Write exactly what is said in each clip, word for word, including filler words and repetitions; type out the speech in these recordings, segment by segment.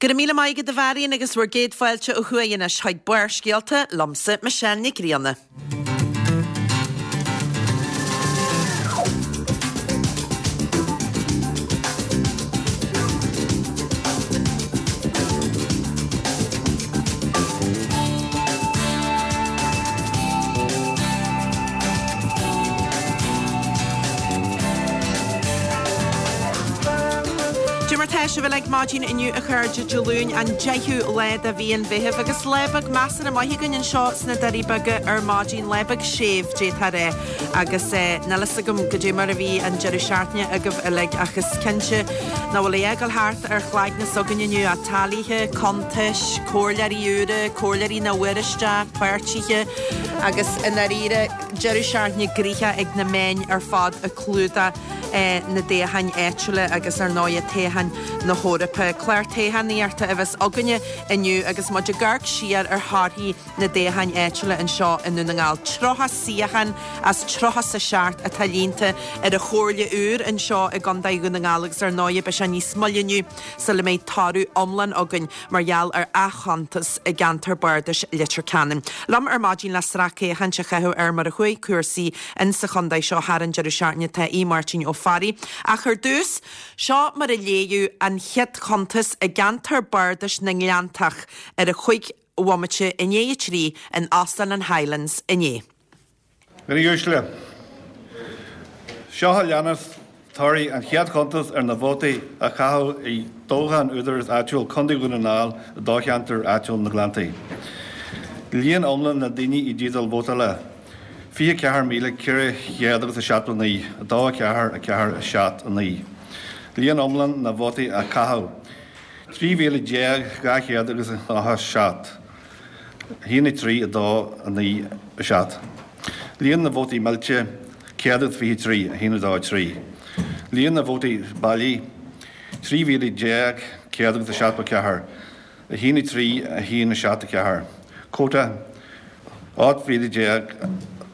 Go raibh míle maith agat a Mharion agus bhur gcéad fáilte ó thuaidh anois chuig Barrscéalta liomsa Michelle Nic Grianna. Cad é mar tá sibh uilig maidin inniu a chairde Dé Luain an deichiú lá de mhí an Mheithimh agus lá beag measartha maith againn anseo sna Doirí Beaga ar maidin, lá beag séimh d'fhéadfá a rá agus níl fhios agam cad é mar a bhí an deireadh seachtaine agaibh uilig ach is cinnte nach bhfuil a dhath ag dul thart ar chloigne s'againn inniu ach teaghlaithe, cuntais, comhairleoirí úra, comhairleoirí nach bhfuair isteach, páirtithe agus i ndáiríre deireadh seachtaine gnoitheach ag na meáin ar fad ag clúdach na dtoghcháin áitiúla agus ar ndóigh toghcháin na hEorpa. Clár toghchánaíochta a bheas againne inniu agus muid ag amharc siar ar thorthaí na dtoghcháin áitiúla anseo i nDún na nGall. Tríocha suíochán as tríocha is a seacht atá líonta ar an Chomhairle úr anseo i gContae Dhún na nGall agus ar ndóigh beidh sé níos moille inniu sula mbeidh toradh iomlán againn mar gheall ar athchuntas i gceantar bardais Leitir Ceanainn. Liom ar maidin le sracfhéachaint a chaitheamh ar mar a chuaigh cúrsaí in sa chontae seo thar an deireadh seachtaine tá Aodh Máirtín Ó Fearraigh. Ach ar dtús, seo mar a léadh an chéad chuntas i gceantar bardais na nGleanntach ar a chúig bhomaite i ndiaidh a trí in Óstán an Highlands inné. A dhaoine uaisle, seo a leanas torthaí an chéad chuntas ar na vótaí a caitheadh i dtoghchán Údarás Áitiúil Contae Dhún na nGall i dtoghcheantar áitiúil na nGleanntaí. Líon iomlán na ndaoine i dteideal vótála, fiche ceathair míle ceithre chéad agus a seachtó naoi, a dó a ceathair a ceathair a seacht a naoi. Líon iomlán na vótaí a caitheadh, trí mhíle déag dhá chéad agus a nócha seacht, a haon a trí a dó a naoi a seacht. Líon na vótaí millte, céad agus fiche trí, a haon a dó a trí. Líon na vótaí bailí, trí mhíle déag céad agus a seachtó ceathair, a haon a trí a haon a seacht a ceathair. Quota, ocht mhíle déag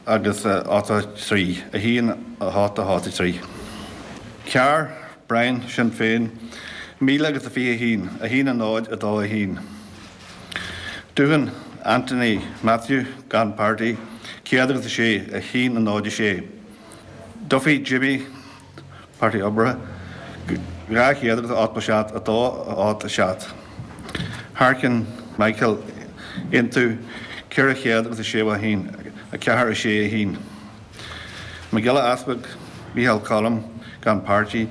agus ochtó a trí, a haon a hocht a hocht a trí. Carr, Brian, Sinn Féin, míle agus a fiche a haon, a haon a náid a dó a haon. Doohan, Anthony Matthew, gan páirtí, céad agus a sé, a haon a náid a sé. Duffy, Jimmy, Páirtí Oibre, dhá chéad agus a ochtó seacht, a dó a ocht a seacht. Harkin, Michael, Aontú, ceithre chéad agus a sé a haon, a ceathair a sé a haon. Mac Giolla Easpaig, Micheál Colm, gan páirtí,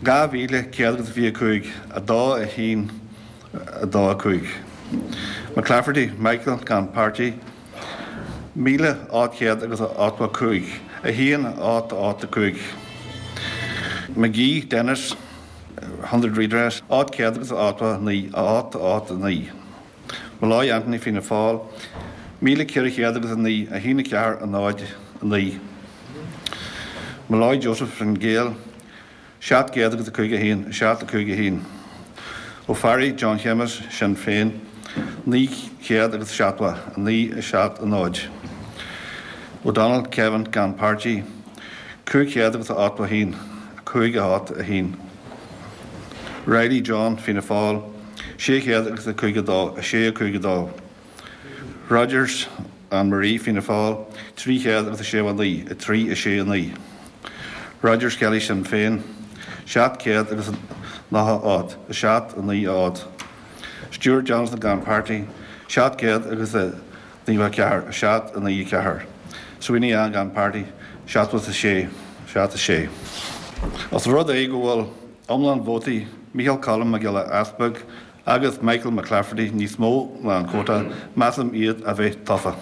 dhá mhíle céad agus a fiche cúig, a dó a haon, a dó a cúig. McClafferty, Michael, gan páirtí, míle ocht chéad agus a ochtó cúig, a haon ocht ocht a cúig. McGee, Dennis, Hundred Redress, ocht chéad agus a ochtó naoi, a ocht ocht a naoi. Molloy, Anthony, Fianna Fáil, míle ceithre chéad agus a naoi, a haon a ceathair a náid a naoi. Molloy, Joseph, Fine Gael, seacht gcéad agus a cúig a haon, a seacht a cúig a haon. Ó Fearraigh, John Shéamus, Sinn Féin, naoi chéad agus seachtó, a naoi a seacht a náid. O'Donnell, Kevin, gan páirtí, cúig chéad agus a ochtó a haon, a cúig a hocht a haon. Reilly, John, Fianna Fáil, sé chéad agus a cúig a dó, a sé a cúig a dó. Rogers, Anne Marie, Fianna Fáil, trí chéad agus a sé a naoi, a trí a sé a naoi. Rogers, Kelly, Sinn Féin, seacht céad agus nócha ocht, a seacht a naoi a ocht. Stewart Jonathan gan páirtí, seacht céad agus a naocha ceathair, a seacht a naoi a ceathair. Sweeney Ann gan páirtí, seachtó a sé, seacht a sé. Os rud é go bhfuil iomlán vótaí Micheál Colm Mac Giolla Easpaig agus Michael McClafferty níos mó ná an quota, measaim iad a bheith tofa.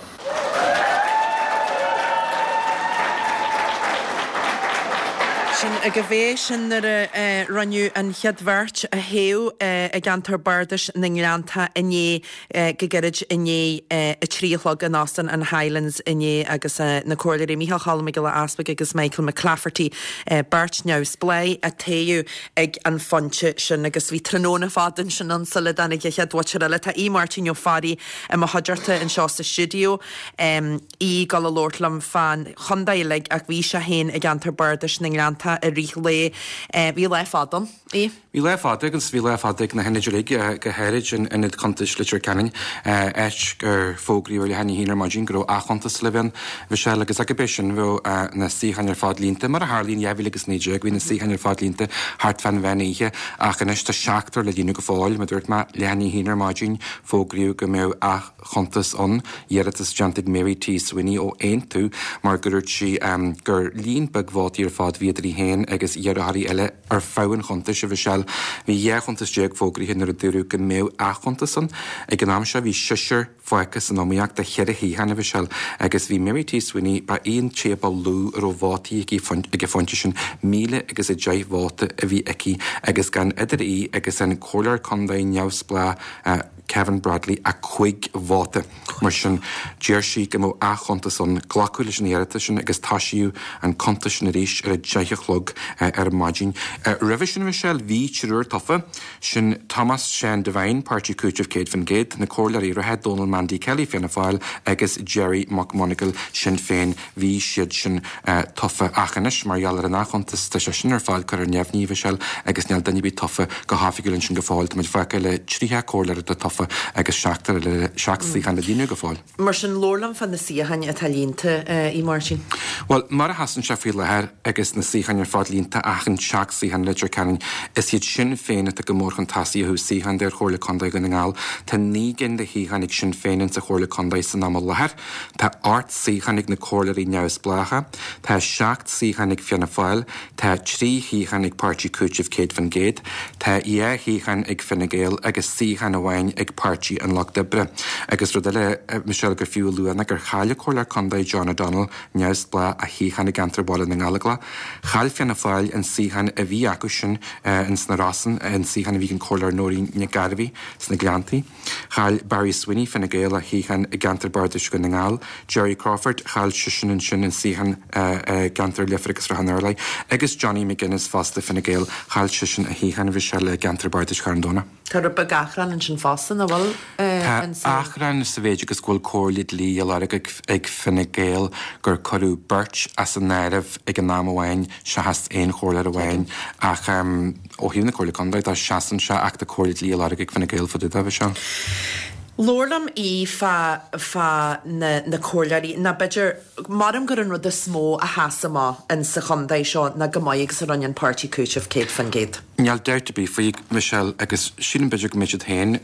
Sin agaibh é, sin nuair a rinneadh an chéad bheirt a thoghadh i gceantar bardais na nGleanntach inné, go gairid i ndiaidh a trí a chlog in Óstán an Highlands inné agus na Comhairleoirí Micheál Cholm Mac Giolla Easpaig agus Michael McClafferty, beirt neamhspleách, a toghadh ag an phointe sin agus bhí tráthnóna fada ansin ann sula dtáinig an chéad mhuintir eile. Tá Aodh Máirtín Ó Fearraigh i mo chuideachta anseo sa stiúideo, Aodh ag dul a labhairt liom fán chontae uilig ach bhí sé féin i gceantar bardais na nGleanntach. iontach i rith an lae. Bhí lá fada ann, í? Bhí lá fada agus bhí lá fada ag na hionaid uilig, go háirid in ionad cuntais Leitir Ceanainn, áit gur fógraíodh ar leath i ndiaidh a haon ar maidin go raibh athchuntas le bheith ann, Michelle, agus ag bith sin bheadh na suíocháin ar fad líonta. Mar a tharla in dhá mhíle agus naoi déag, bhí na suíocháin ar fad líonta thart fán mheán oíche, ach anois tá seachtar le líonadh go fóill. Mar a dúirt mé, leath i ndiaidh a haon ar maidin, fógraíodh go mbeadh athchuntas ann, iarratas déanta ag Mary T. Sweeney ó Aontú, mar go dúirt sí gur líon beag vótaí ar fad bhí idir í féin agus iarrthóirí eile ar feadh an chuntais, a Mhichelle. Bhí dhá chuntas déag fógraithe nuair a dúradh go mbeadh athchuntas ann. Ag an am seo bhí seisear fágtha san iomaíocht do cheithre shuíochán, a Mhichelle, agus bhí Mary T. Sweeney, ba í an té ba lú a raibh vótaí aici ag an phointe sin, míle agus a deich vóta a bhí aici agus gan idir í agus an comhairleoir contae neamhspleách Kevin Bradley ach cúig vóta. Mar sin, deir sí go mbeadh athchuntas ann. Glacadh leis an iarratas sin agus toisíodh an cuntas sin arís ar a deich a chlog ar maidin. Roimhe sin, Michelle, bhí triúr tofa, sin Thomas Seán Devine, Páirtí Cúitimh céad faoin gcéad, na comhairleoirí reatha Donal Mandy Kelly, Fianna Fáil, agus Gerry McMonagall, Sinn Féin, bhí siad sin tofa. Ach anois, mar gheall ar an athchuntas, tá sé sin ar fad curtha ar neamhní, Michelle, agus níl duine ar bith tofa go hoifigiúil ansin go fóill. Tá muid fágtha le tríocha comhairleoir atá tofa agus seachtar le seacht suíochán le líonadh go fóill. Mar sin, labhair liom fá na suíocháin atá líonta, a Mháirtín. Bhuel, mar a sheasann sé faoi láthair agus na suíocháin ar fad líonta ach an seacht suíochán i Leitir Ceanainn, is iad Sinn Féin atá go mór chun tosaigh ó thaobh suíochán de ar Chomhairle Contae Dhún na nGall. Tá naoi gcinn de shuíocháin ag Sinn Féin insa Chomhairle Contae san am i láthair. Tá ocht suíochán ag na comhairleoirí neamhspleácha. Tá seacht suíochán ag Fianna Fáil. Tá trí shuíochán ag Páirtí Cúitimh céad faoin gcéad. Tá dhá shuíochán ag Fine Gael agus suíochán amháin ag Páirtí an Lucht Oibre. Agus rud eile, Michelle, gur fiú a lua ná gur chaill an Comhairleoir Contae John O'Donnell neamhspleách a shuíochán i gceantar Bhaile na nGallóglach. Chaill Fianna Fáil an suíochán a bhí acu sin ins na Rosann, an suíochán a bhí ag an Comhairleoir Nóirín Nic Gairbhí sna Gleanntaí. Chaill Barry Sweeney Fine Gael a shuíochán i gceantar Bardais Dhún na nGall. Jerry Crawford chaill seisean ansin an suíochán i gceantar Leifear agus Ráth an Urláir. Agus Johnny McGuinness fosta Fine Gael chaill seisean a shuíochán a bhí sé le gceantar Bardais Charn Domhnach. Tá rud beag achrann ansin fosta nach bhfuil Tá achrann sa mhéid agus go bhfuil comhairle dlí á lorg ag Fine Gael gur cuireadh beirt as an áireamh ag an am amháin seachas aon chomhairleoir amháin ach ó thaobh na Comhairle Contae dá seasann sé ach tá comhairle dlí á lorg ag Fine Gael fá dtaobh de seo. Labhair liom í fá fá na na comhairleoirí ná b'fhéidir maram gur an rud is mó a sheas amach in sa chontae seo ná go maith agus a rinne an Páirtí Cúitimh céad faoin gcéad. Níl dabht ar bith faoi Michelle agus sílim b'fhéidir go mbeidh siad féin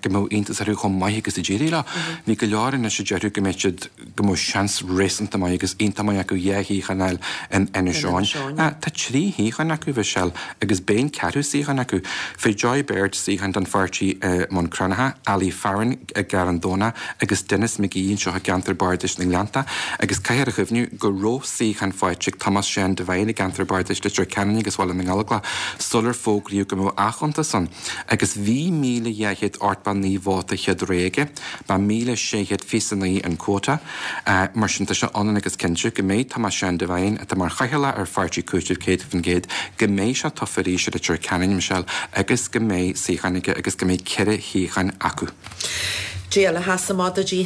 go mbeadh iontas orthu chomh maith agus a d'éirigh leo. Bhí go leor anois a déarfadh go mbeidh siad go mbeadh seans réasúnta maith agus iontach maith acu dhá shuíochán a fháil in Inis Eoghain. Tá trí shuíochán acu Michelle agus beidh an ceathrú suíochán acu. Fuair Joy Baird suíochán don pháirtí i mBun Cranncha, Ali Farren i gCarn Domhnach agus Denis McGee anseo i gceantar Bardais na nGleannta agus caithfear a chuimhniú go raibh suíochán faighte ag Thomas Seán Devine i gceantar Bardais Leitir Ceanainn agus Bhaile na nGallóglach sular fógraíodh go mbeadh athchuntas ann agus bhí míle dhá chéad ochtó naoi vóta chéad rogha aige, ba míle sé chéad fiche a naoi an quota. Mar sin tá sé ionann agus cinnte go mbeidh Thomas Seán Devine atá mar chathaoirleach ar Pháirtí Cúitimh céad faoin gcéad go mbeidh sé tofa arís i Leitir Ceanainn Michelle agus go mbeidh suíochán aige agus go mbeidh ceithre shuíochán acu. Dé eile sheas amach duit í?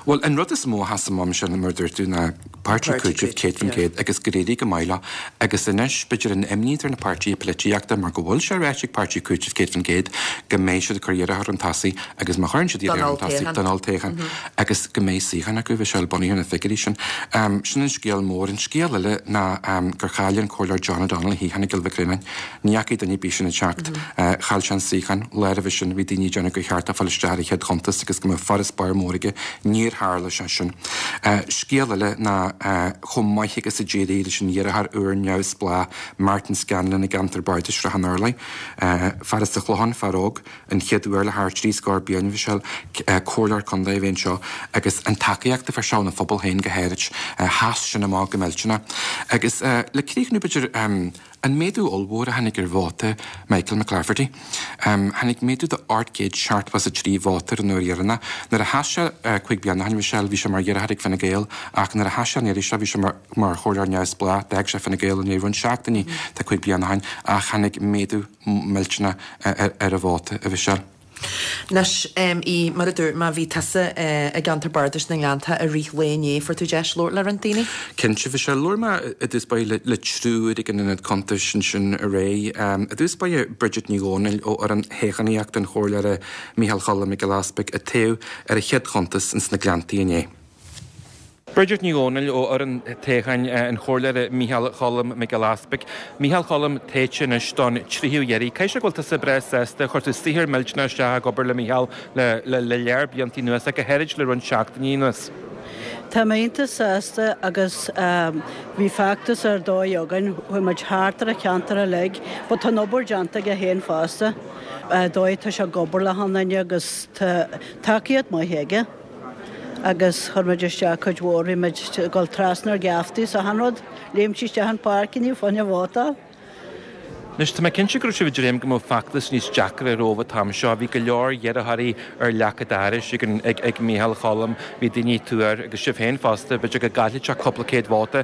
Bhuel, an rud is mó a sheas amach Michelle mar a dúirt tú ná Páirtí Cúitimh céad faoin gcéad agus gur éirigh go maith leo agus anois b'fhéidir an imní idir na páirtithe polaitíochta mar go bhfuil sé ráite ag Páirtí Cúitimh céad faoin gcéad go mbeidh siad ag cur iarrthóir chun tosaigh agus má chuireann siad iarrthóir chun tosaigh don olltoghchán agus go mbeidh suíochán acu Michelle bunaithe ar na figiúirí sin. Sin an scéal mór. An scéal eile ná gur chaill an Comhairleoir John O'Donnell a shuíochán i gCill Mhic Réanáin. Ní fhacaigh duine ar bith sin ag teacht. Chaill sé an suíochán. Lá roimhe sin bhí daoine ag déanamh gur cheart dó fáil isteach ar an chéad chuntas agus go mbeadh farasbarr mór aige. Níor tharla sé sin. Scéal eile ná chomh maith agus a d'éirigh leis an iarrthóir úr neamhspleách Martin Scanlon i gceantar Bardais Shrath an Urláir. Fear as an Chlochán, fear óg, an chéad uair le thart trí scór bliain, Michelle, comhairleoir contae a bheith anseo agus an tacaíocht a fuair sé óna phobal féin go háirid, sheas sin amach go millteanach. Agus le críochnú b'fhéidir, an méadú ollmhór a tháinig ar vóta Michael McClafferty. Tháinig méadú de ocht gcéad seachtó is a trí vóta ar an uair dheireanach. Nuair a sheas sé cúig bliana ó shin, Michelle, bhí sé mar iarrthóir ag Fine Gael ach nuair a sheas sé an iarraidh seo bhí sé mar mar chomhairleoir neamhspleách, d'fhág sé Fine Gael i ndiaidh roinnt seachtainí tá cúig bliana ó shin ach tháinig méadú millteanach ar a vóta, a Mhichelle. Anois í mar a dúirt mé bhí tusa i gceantar bardais na nGleannta i rith lae inné fuair tú deis labhairt le roinnt daoine? Cinnte bhí sé labhair mé i dtús báire le triúr ag an ionad cuntais ansin aréir. I dtús báire Bridget Ní Dhomhnaill ó fhoireann toghchánaíochta an chomhairleora Micheál Cholm Mac Giolla Easpaig a toghadh ar a chéad chuntas ins na Gleanntaí inné. Bridget Ní Dhomhnaill ó fhoireann toghcháin an chomhairleora Micheál Cholm Mac Giolla Easpaig. Micheál Cholm tofa anois don tríú iarraidh. Caithfidh sé go bhfuil tusa breá sásta chuir tú saothar millteanach isteach ag obair le Micheál le le le lear blianta anuas go háirid le roinnt seachtainí anuas. Tá mé iontach sásta agus bhí feachtas ar dóigh againn, chuaigh muid thart ar an cheantar uilig, but tá an obair déanta aige féin fosta. Dóigh tá sé ag obair le achan duine agus tá tacaíocht maith aige. agus chuir muid isteach cuid mhór bhí muid ag dul trasna ar gheaftaí so achan rud, léim sí isteach an pháirc inniu fá choinne vótáil. Anois tá mé cinnte go raibh sibh ag dréim go mbeadh feachtas níos deacra romhaibh an t-am seo. Bhí go leor iarrthóirí ar leac an dorais ag, ag, ag Micheál Cholm, bhí daoine ag tuar agus sibh féin fosta, b'fhéidir go gcaillfeadh sé cúpla céad vóta.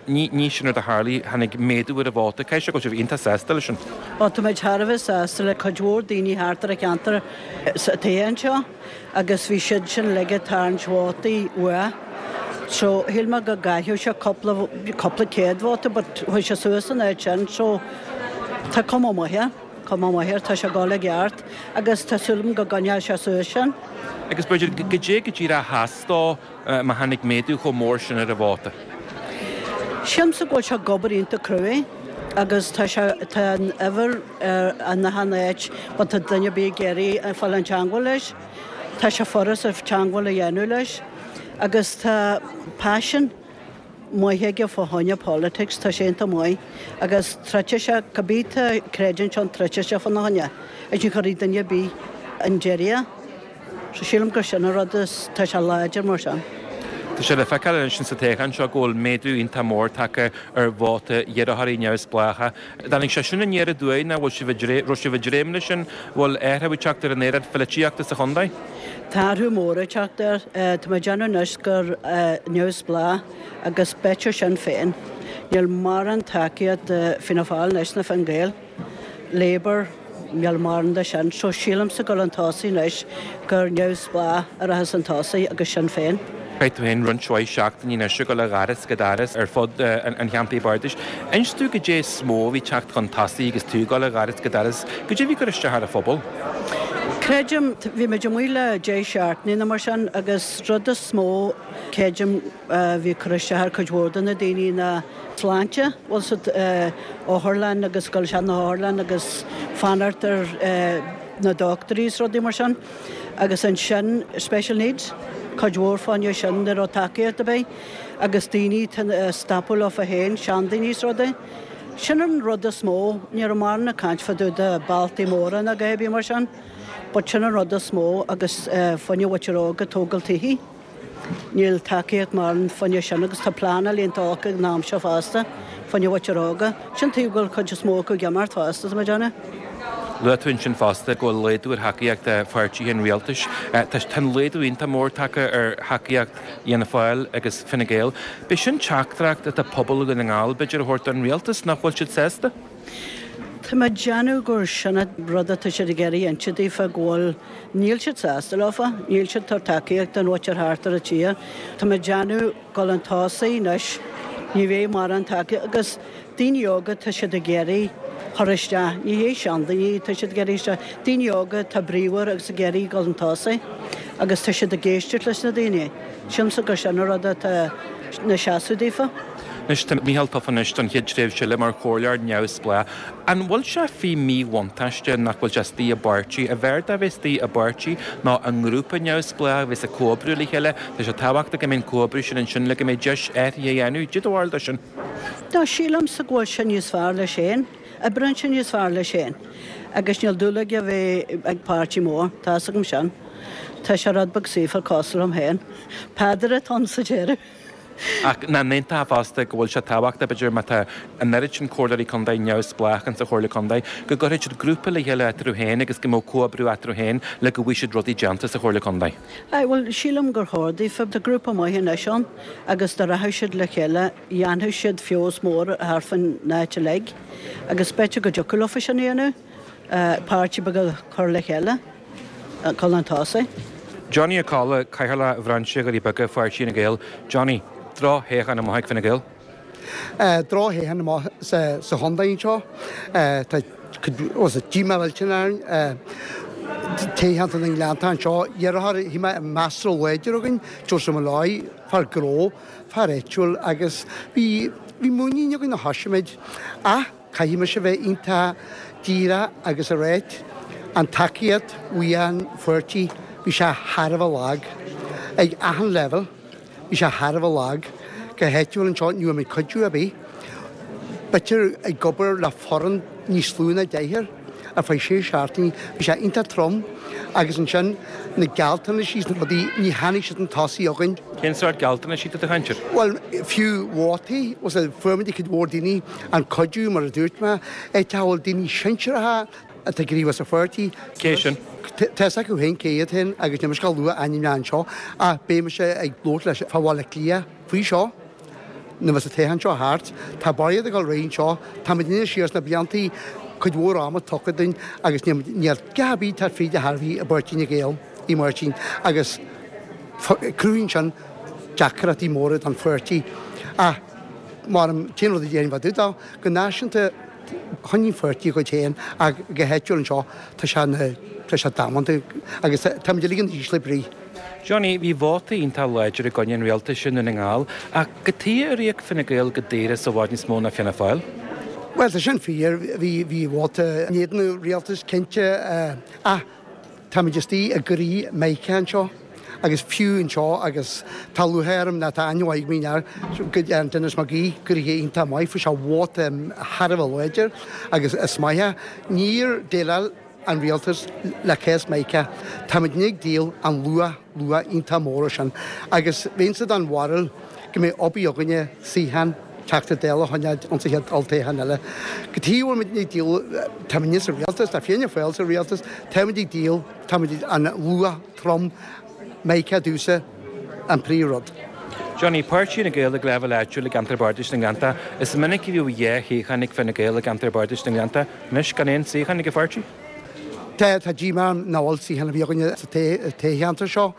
Ní, ní sin rud a tharla, tháinig méadú ar an vóta. Caithfidh sé go bhfuil sibh iontach sásta leis sin. Ó tá muid thar a bheith sásta le cuid mhór daoine thart ar an cheantar sa toghchán seo agus bhí siad sin uilig ag tarraingt vótaí uaidh. So shíl mé go gcaillfeadh sé cúpla cúpla céad vóta but chuaigh sé suas an áit sin so tá cuma maith air, cuma maith air, tá sé ag dul i gceart agus tá súil agam go gcoinneoidh sé suas sin. Agus b'fhéidir goidé go díreach a theastódh má tháinig méadú chomh mór sin ar an vóta. Sílimse go bhfuil sé ag obair iontach cruaidh agus tá sé tá an uimhir ar an achan áit má tá duine ar bith ag iarraidh fáil in teagmháil leis. Tá sé furast teagmháil a dhéanamh leis agus tá passion maith aige fá choinne politics, tá sé iontach maith agus troidfidh sé cibé tá creideann sé an troidfidh sé fána choinne. Is ní chuirfidh duine ar bith an deireadh. So sílim gur sin an rud is tá sé láidir mar sin. Tá sé le feiceáil anois sa toghchán seo go bhfuil méadú iontach mór tagtha ar vóta iarrthóirí neamhspleácha. Tháinig sé sin aniar aduaidh nó bhfuil sibh raibh sibh ag dréim leis sin, bhfuil athrú ag teacht ar an aeráid pholaitíochta sa chontae? Tá athrú mór ag teacht air. Tá mé ag déanamh anois gur neamhspleách agus b'fhéidir Sinn Féin. Níl mórán tacaíocht Fianna Fáil anois na Fine Gael. Labour níl mórán de sin, so sílimse go bhfuil an tosaigh anois gur neamhspleách a rachas an tosaigh agus Sinn Féin. Chaith tú féin roinnt mhaith seachtainí anois ag dul ó dhoras go doras ar fud an cheantair bardais. Inis domh goidé is mó a bhí teacht chun tosaigh agus tú ag dul ó dhoras go doras, goidé a bhí ag cur isteach ar an phobal. Creidim bhí muid amuigh le deich seachtainí nó mar sin agus rud is mó creidim bhí cur isteach ar cuid mhór de na daoine ná sláinte, bhfuil siad otharlann agus dul isteach na hotharlann agus fanacht ar na dochtúirí is rudaí mar sin. Agus ansin special needs, cuid mhór fá choinne sin ní raibh tacaíocht ar bith agus daoine stopadh leofa féin, seandaoine is rudaí. Sin an rud is mó, ní raibh mórán ag caint fá dtaobh de bealtaí móra ná a dhath mar sin, but sin an rud is mó agus fá choinne mhuintir óg ag tógáil tithe. Níl tacaíocht mórán fá choinne sin agus tá pleanáil iontach ag an am seo fosta fá choinne mhuintir óga. Sin taobh go bhfuil cuid is mó acu ag imeacht fosta tá mé ag déanamh. Luaigh tú ansin fosta go bhfuil laghdú ar thacaíocht pháirtithe an rialtais. Tá an laghdú iontach mór tagtha ar thacaíocht Fhianna Fáil agus Fine Gael. B'é sin teachtaireacht atá pobal Dhún na nGall b'fhéidir a thabhairt don rialtas nach bhfuil siad sásta? Tá mé ag déanamh gur sin an rud atá siad ag iarraidh inse daofa go bhfuil níl siad sásta leofa, níl siad tabhairt tacaíocht don mhuintir thart ar an tír. Tá mé ag déanamh go bhfuil an tosaigh anois ní bheidh mórán tacaíocht agus daoine óga tá siad ag iarraidh chur isteach, ní hé seandaoine tá siad ag iarraidh isteach, daoine óga tá bríomhar agus ag iarraidh dul an tosaigh agus tá siad ag éisteacht leis na daoine. Sílimse gur sin an rud atá na seasamh daofa. Anois tá Micheál tofa anois don chéad tréimhse eile mar chomhairleoir neamhspleách. An bhfuil sé faoi mhíbhuntáiste nach bhfuil sé istigh i bpáirtí? An bhfearr dó a bheith istigh i bpáirtí nó i ngrúpa neamhspleách a bheas ag comhoibriú le chéile? Tá sé tábhachtach go mbeidh an comhoibriú sin ansin le go mbeidh deis athraithe a dhéanamh. Cad é do bharúil de sin. Tá sílimse go bhfuil sé níos fearr leis féin, oibríonn sé níos fearr leis féin. Agus níl dúil aige a bheith ag páirtí mór, tá a fhios agam sin. Tá sé rud beag saofa cosúil liom féin. Peadar atá ann sa deireadh. Ach nach n-aontófá fosta go bhfuil sé tábhachtach, b'fhéidir, má tá an oiread sin comhairleoirí contae neamhspleách insa Chomhairle Contae, go gcuirfidh siad grúpa le chéile eatarthu féin agus go mbeadh comhoibriú eatarthu féin le go bhfaighidh siad rudaí déanta sa Chomhairle Contae. Aye, bhuel, sílim gur chóir daofa. Tá grúpa maith anois ann agus dá rachadh siad le chéile, dhéanfadh siad feabhas mór thart fán áit uilig agus b'fhéidir go dtiocfadh leofa sin a dhéanamh, páirtí beag a chur le chéile. dul chun tosaigh. Johnny Ó Colla, Cathaoirleach Bhrainse Dhoirí Beaga, Pháirtí Fhine Gael. Johnny, drochthoghchán amach ag Fine Gael? Drochthoghchán amach sa chontae anseo. Tá díomá millteanach orainn. Toghcheantar na nGleannta anseo. Iarrthóir a bhí measartha láidir againn, Joseph Molloy, fear gnó, fear áitiúil agus bhí muinín againn a thosaigh Ach caithfidh mise bheith iontach díreach agus a ráit an tacaíocht bhí an pháirtí bhí sé thar a bheith lag ag achan leibhéal, bhí sé thar a bheith lag go háitiúil anseo ní raibh muid cuidiú ar bith. B'fhéidir ag obair le foireann níos lú ná deichniúr ar feadh sé seachtainí, bhí sé iontach trom agus ansin na gealltanais is na rudaí ní tháinig siad chun tosaigh againn. Cén sórt gealltanais atá tú ag caint air? Bhuel, fiú vótaí, fuair muid cuid mhór daoine an cuidiú mar a dúirt mé, áit a bhfuil daoine sinsearacha atá ag gníomhú sa pháirtí. Cé sin? Tá fhios acu féin cé iad féin agus níl mise ag lua ainmneacha anseo ach beidh mise ag labhairt leis fá Bhaile Átha Cliath faoi seo nuair a bheas an toghchán seo thart. Tá barraíocht ag dul ar aghaidh anseo, táimid anois siar sna bliantaí cuid mhór ama tugtha dúinn agus níl gá ar bith tá fríd a thairbhí i bPáirtí Fhine Gael i Máirtín agus cruthaíonn sin deacrachtaí móra don pháirtí. Ach mar an t-aon rud a déarfainn fá dtaobh dó, go náisiúnta choinnigh an pháirtí a gcuid féin ach go háitiúil anseo tá sé tá sé damanta agus táimid uilig in ísle brí. Johnny, bhí vóta iontach láidir i gcoinne an rialtais i nDún na nGall, ach cad chuige ar íoc Fine Gael go daor as i bhfad níos mó ná Fianna Fáil. Well, tá sin fíor, bhí bhí vóta in éadan an rialtais cinnte ach táimid istigh i gcroí Meiriceá anseo agus fiú anseo agus tá lúcháir orm ná tá aithne mhaith agam air go an Denis McGee gnoithe iontach maith fuair sé vóta thar a bheith láidir agus is maith é. Níor déileáil an rialtas le cás Meiriceá. Táimid ag díol an luach luach iontach mór sin agus bheinnse den bharúil go mbeidh obair againne suíochán Teachta Dála a choinneáil ansa chéad olltoghchán eile. Cad chuige a bhfuil muid ag díol, táimid sa rialtas, tá Fianna Fáil sa rialtas, táimid ag díol, táimid an luach trom Meiriceá domhsa an príomhrud. Johnny, Páirtí Fhine Gael ag leibhéal áitiúil i gceantar Bardais na nGleannta. Is minic a bhíodh dhá shuíochán ag Fine Gael i gceantar Bardais na nGleannta. Anois gan aon suíochán ag an pháirtí? Tá tá díomá orm nach bhfuil suíochán ar bith againne sa toghcheantar seo.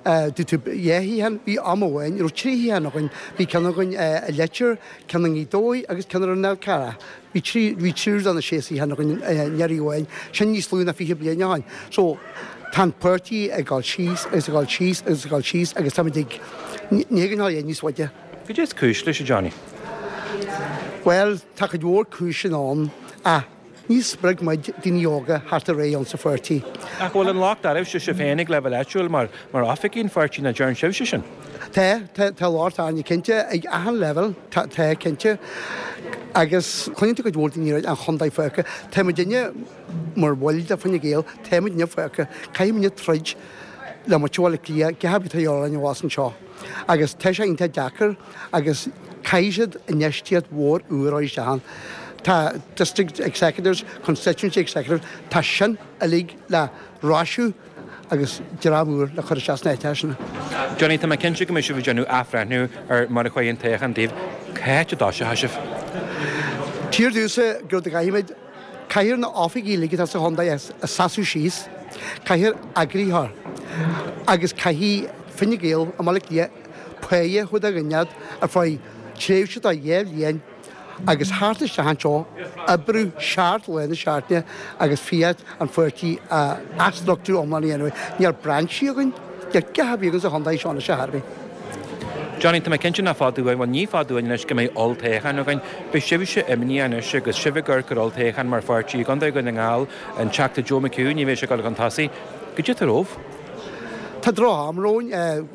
Dúirt tú dhá shuíochán, bhí am amháin, raibh trí shuíochán againn, bhí ceann againn i Leitir, ceann i nGaoth Dobhair agus ceann ar an Fhál Carrach. Bhí trí bhí triúr de na sé suíochán againn anuraidh amháin, sin níos lú ná fiche bliain ó shin. So tá an páirtí ag dul síos agus ag dul síos agus ag dul síos agus táimid ag ní thig linn dul níos faide. Cad é is cúis leis, a Johnny? Bhuel, tá cuid mhór cúiseanna ann ach ní spreag muid daoine óga thart ar aghaidh ann sa pháirtí. Ach bhfuil an locht oraibhse sibh féin ag leibhéal áitiúil mar mar oifigigh an pháirtí nach dtearn sibhse sin? Tá, tá, tá locht orainne cinnte ag achan leibhéal, tá, tá cinnte. Agus cluineann tú cuid mhór daoine an chontae fágtha. Tá muidinne mar bhaill de Fine Gael, tá muidinne fágtha. Caithfidh muidinne troid le muintir Bhaile Átha Cliath, gach ar bith atá orainn abhus anseo. Agus tá sé iontach deacair agus caithfidh siad infheistíocht mhór úr a chur isteach ann. Tá district executives, constituency executives, tá sin uilig le roiseadh agus dream úr le chur isteach sna háiteacha sin. Johnny, tá mé cinnte go mbeidh sibh ag déanamh athbhreithniú ar mar a chuaigh an toghchán daoibh. Cá háit a dtoiseoidh sibh? Tír domhsa go gcaithfimid caithfear na oifigí uilig atá sa chontae a seasamh síos, caithfear eagraitheoir agus caithfidh Fine Gael i mBaile Átha Cliath páighe chomh do dhuine ar feadh tréimhse de dhá bhliain agus thart isteach anseo oibriú seacht lá na seachtaine agus fiat an pháirtí a athstruchtúrú iomlán a dhéanamh. Níl brainsí againn, níl gach ar bith againn sa chontae seo anois ar bith. Johnny, tá mé cinnte nach fada uainn, bhuel ní fada uainn anois go mbeidh olltoghchán againn. Beidh sibhse imníoch anois agus sibh ag amharc ar olltoghchán mar pháirtí i gContae Dhún na nGall, an Teachta Joe McHugh, ní bheidh sé ag dul chun tosaigh. Cad é atá romhaibh? Tá droch-am romhainn,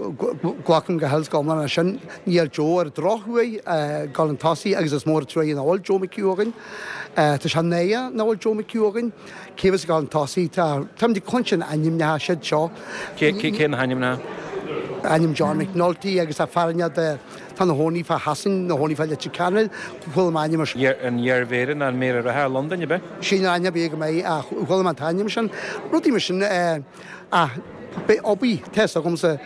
glacaim go huile is go hiomlán leis sin. Níl Joe ar drochuair dul chun tosaigh agus is mór an truaighe nach bhfuil Joe McHugh againn. Tá sé náireach nach bhfuil Joe McHugh againn. Cé bheas ag dul chun tosaigh? Tá táimid ag cluinstin ainmneacha siad seo. Cé cé na hainmneacha? Ainm John McNulty agus tá fear de tá ina chónaí fá Shasain, ina chónaí fá Leitir Ceanainn, chuala mé ainm An iarmhéara nó an méara reatha i Londain, ab ea? Sin ainm ar bith go mbeidh ach chuala mé an t-ainm sin. Rudaí mar sin ach beidh obair, tá fhios agamsa,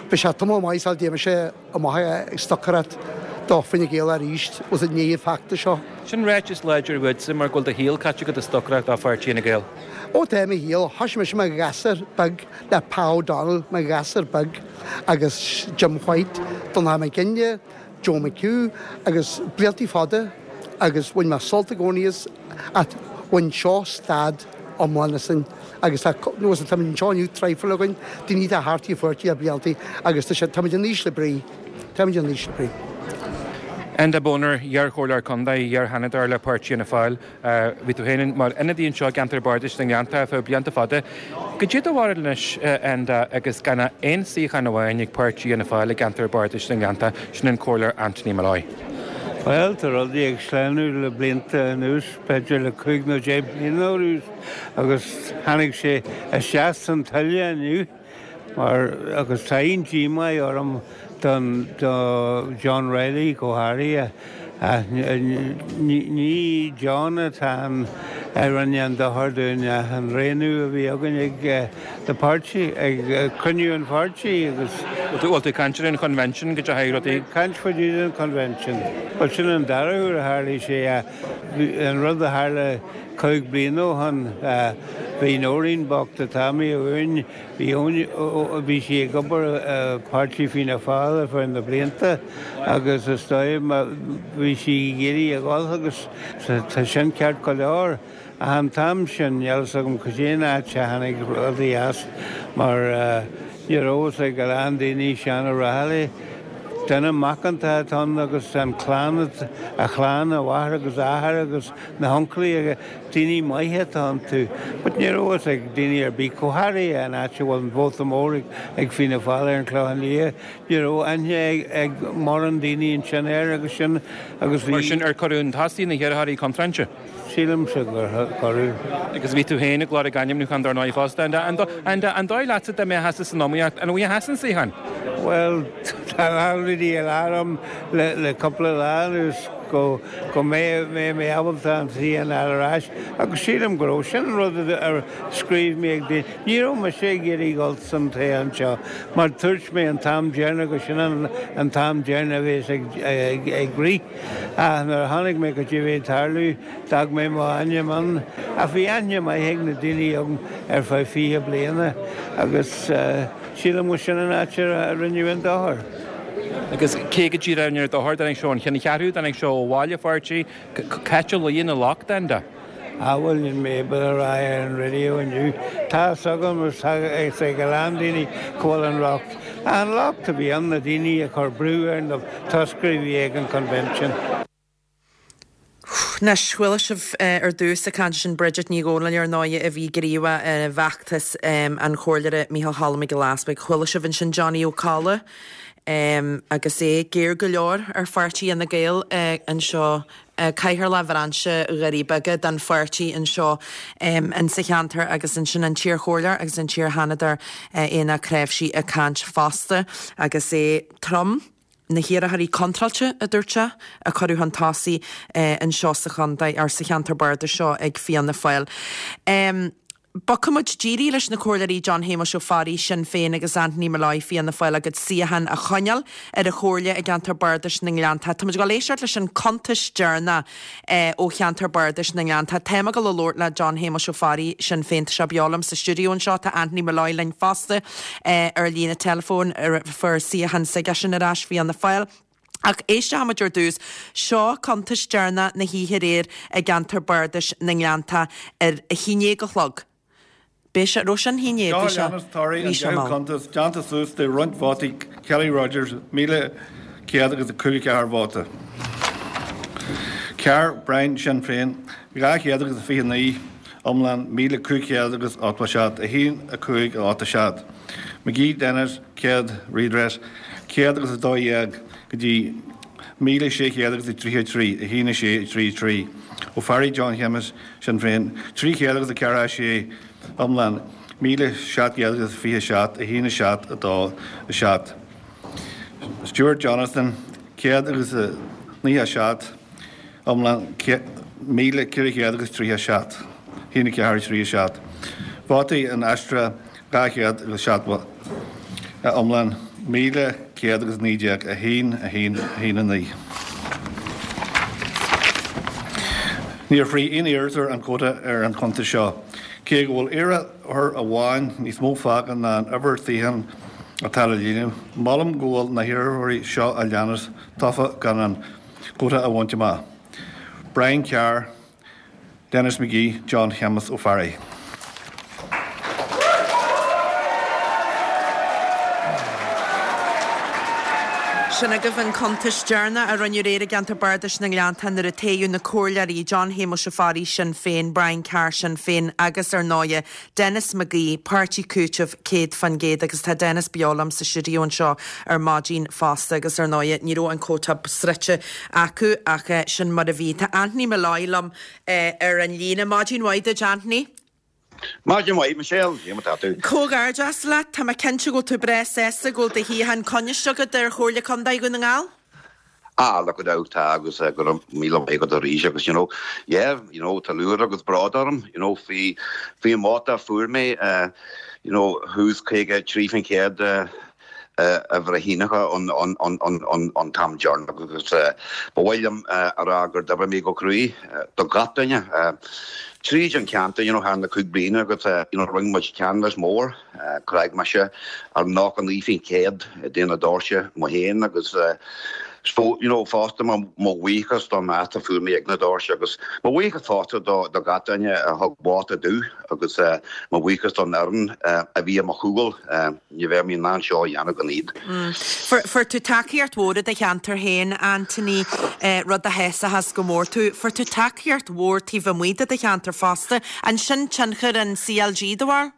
beidh sé tamall maith sula dtéann mise amach ag stocaireacht do Fine Gael arís bhfuil i ndiaidh an feachtais seo. Sin ráiteas láidir uaitse mar go bhfuil do shaol caite agat ag stocaireacht do pháirtí Fhine Gael. Ó tá mo shaol, thoisigh mise mar ghasúr beag le Pa O'Donnell mar ghasúr beag agus Jim White, Donnchadh Mac Ginneá, Joe McHugh agus bliantaí fada agus bhain mé sult i gcónaí as ach bhain seo stad iomlán asainn agus tá nó táimid anseo inniu traidhfil againn, daoine atá thart an pháirtí le bliantaí agus tá sé táimid in ísle brí, táimid in ísle brí. Enda Boner, iarchomhairleoir contae, iar-sheanadóir le Páirtí Fhianna Fáil. Bhí tú féin mar ionadaí anseo i gceantar Bardais na nGleanntach ar feadh blianta fada. Goidé do bharúil anois, Enda, agus gan ach aon suíochán amháin ag Páirtí Fhianna Fáil i gceantar Bardais na nGleanntach, sin an Comhairleoir Anthony Molloy. Bhuel, tá rudaí ag sleamhnú le blianta anuas, b'fhéidir le cúig nó deich mbliana anuas, agus tháinig sé isteach san tuile inniu mar, agus tá an-díomá orm don, do John Reilly go háirithe. Ach ní John atá an, a rinne an dochar dúinn ach an roghnú a bhí againn ag the party, ag cruinniú an pháirtí agus. Bhfuil tú ag caint ar an Convention go dteachaigh rudaí? Ag caint faoi an Convention. Bhuel sin an dara huair a tharlaigh sé. An rud a tharla cúig bliana ó shin, bhí Nóirín bocht atá imithe uainn, bhí bhí sí ag obair i bpáirtí Fianna Fáil ar feadh na blianta agus is dóigh bhí sí ag iarraidh a dhul agus tá sin ceart go leor. Ach an t-am sin, níl fhios agam cad é an áit a tháinig rudaí as mar ní raibh fhios ag a lán daoine Seán Ó Raghallaigh, duine macánta atá ann agus an clann, a chlann, a mháthair agus a athair agus na huncailí, daoine maithe atá iontu. But ní raibh fhios ag daoine ar bith, go háirithe an áit a bhfuil an vóta mór ag Fianna Fáil ar an Chlochán Liath, ní raibh aithne ag mórán daoine ansin air agus sin agus bhí. Mar sin, ar cuireadh chun tosaigh na hiarrthóirí contráilte? Sílimse gur cuireadh. Agus bhí tú féin ag lorg ainmniúchán dar ndóigh fosta. An dóigh leatsa dá mbeifeása san iomaíocht, an bhfaighfeása an suíochán? Bhuel, tá a lán rudaí ag rá liom le cúpla lá anuas go go mbeidh mé ábalta an suíochán a fháil ar ais agus sílim go raibh. Sin an rud a scríobh mé ag daoine. Ní raibh mise ag iarraidh dul san toghchán seo mar dúirt mé an t-am deireanach go sin an t-am deireanach a bhéas ag rith. Ach nuair a chonaic mé cad é a bhí ag tarlú, d'fhág mé mo ainm ann. Ach bhí aithne maith ag na daoine agam ar feadh fiche bliana agus sílim go sin an áit a rinneadh an dochar. Agus cé go díreach a rinne an dochar? Dtáinig sé ón cheanncheathrú, dtáinig sé ó bhaile an pháirtí, cá háit a luíonn an locht, Enda? Ah bhuel níl mé ábalta a rá ar an raidió inniu. Tá fhios agam agus tá fhios ag a lán daoine cá bhfuil an locht. An locht a bhí ann na daoine a chuir brú ar na toscairí a bhí ag an Convention. Anois, chuala sibh ar dtús ag caint sin Bridget Ní Dhomhnaill ar ndóigh a bhí gníomhach i bhfeachtas an Chomhairleora Micheál Cholm Mac Giolla Easbuig. Chuala sibh ansin Johnny Ó Colla agus é géar go leor ar pháirtí Fhine Gael anseo, Cathaoirleach Bhrainse Dhoirí Beaga den pháirtí anseo insa cheantar agus ansin an t-iarchomhairleoir agus an t-iar-sheanadóir Aonach Cnáimhsí ag caint fosta agus é trom. Na hiarrthóirí contráilte, a dúirt sé, a cuireadh chun tosaigh anseo sa chontae, or sa cheantar bardais seo ag Fianna Fáil. Bogfaidh muid díreach leis na Comhairleoirí John Shéamuis Ó Fearraigh, Sinn Féin, agus Anthony Molloy, Fianna Fáil, a gcuid suíochán a choinneáil ar an Chomhairle i gceantar Bardais na nGleanntach. Tá muid ag dul éisteacht leis an cuntas deireanach ó cheantar Bardais na nGleanntach. Táim ag dul a labhairt le John Shéamuis Ó Fearraigh, Sinn Féin, tá sé beo liom sa stiúideo anseo. Tá Anthony Molloy linn fosta ar líne teileafóin, fuair suíochán s'aigesean ar ais, Fianna Fáil. Ach éisteoidh muid ar dtús. Seo cuntas deireanach na hoíche aréir i gceantar Bardais na nGleanntach ar a haon déag a chlog. B'é seo, raibh sin haon déag, Seo bhí a sé, leanas torthaí bhí an sé deichiú mall. cuntas déanta suas de roinnt vótaí Kelly Rogers, míle céad agus a cúig ceathair vóta. Carr Brian Sinn Féin, dhá chéad agus a fiche naoi, iomlán míle cúig chéad agus ochtó seacht, a haon a cúig a ocht a seacht. McGee Denis, céad, Redress, céad agus a dó dhéag go dtí míle sé chéad agus a tríocha trí, a haon a sé a trí trí. Ó Fearraigh John Shéamuis, Sinn Féin, trí chéad agus a ceathracha sé, iomlán míle seacht gcéad agus a fiche seacht, a haon a seacht a dó a seacht. Stewart Jonathan, céad agus a naocha seacht, iomlán míle ceithre chéad agus tríocha seacht, a haon a ceathair a trí a seacht. Vótaí inaistrithe dhá chéad agus seachtó, iomlán míle céad agus naoi déag, a haon, a haon, a haon a naoi. Níor shroich aon iarrthóir an quota ar an chuntas seo, cé go bhfuil iarrthóir amháin níos mó fágtha ná an uimhir suíochán atá le líonadh. Molaim go bhfuil na hiarrthóirí seo a leanas tofa gan an quota a bhaint amach. Brian Carr, Denis McGee, John Shéamus Ó Fearraigh. Sin agaibh an cuntas deireanach a rinneadh aréir i gceantar bardais na nGleannta nuair a toghadh na comhairleoirí John Shéamuis Ó Fearraigh, Sinn Féin, Brian Carr, Sinn Féin agus ar ndóighe Denis McGee, Páirtí Cúitimh céad faoin gcéad agus tá Denis beo liom sa stiúideo anseo ar maidin fosta agus ar ndóighe ní raibh an quota sroichte acu ach sin mar a bhí. Tá Anthony Molloy liom ar an líne. Maidin mhaith duit Anthony. Maidin mhaith Michelle, cé mar tá tú? Comhghairdeas leat, tá mé cinnte go bhfuil tú breá sásta go bhfuil do shuíochán coinnithe agat ar Chomhairle Contae Dhún na nGall? Ah, look at out tá agus uh, go raibh míle maith agat arís agus you know, yeah, you know, tá lúcháir agus bród orm, you know, faoi faoi an vóta a fuair mé, uh, you know, thuas caoga trí faoin chéad uh, a bhreithiúnacha an an an an an an t-am deireanach agus ba mhaith liom a rá gur d'oibrigh mé go cruaidh do gach duine tríd an ceantar you know thar na cúig bliana agus you know rinne muid canvas mór chreag mise ar nócha naoi faoin chéad de na doirse mo fhéin agus you know fosta mo bhuíochas don meas a fuair mé ag na doirse agus mo bhuíochas fosta do do gach duine a thug vóta domh agus mo bhuíochas don fhoireann a bhí i mo chúl ní bheadh mé in ann seo a dhéanamh gan iad. Fuair tú tacaíocht mhór i do cheantar féin, Anthony, rud a shásaíos go mór tú. Fuair tú tacaíocht mhór taobh amuigh de do cheantar fosta. An sin tionchar an CLG do bharr?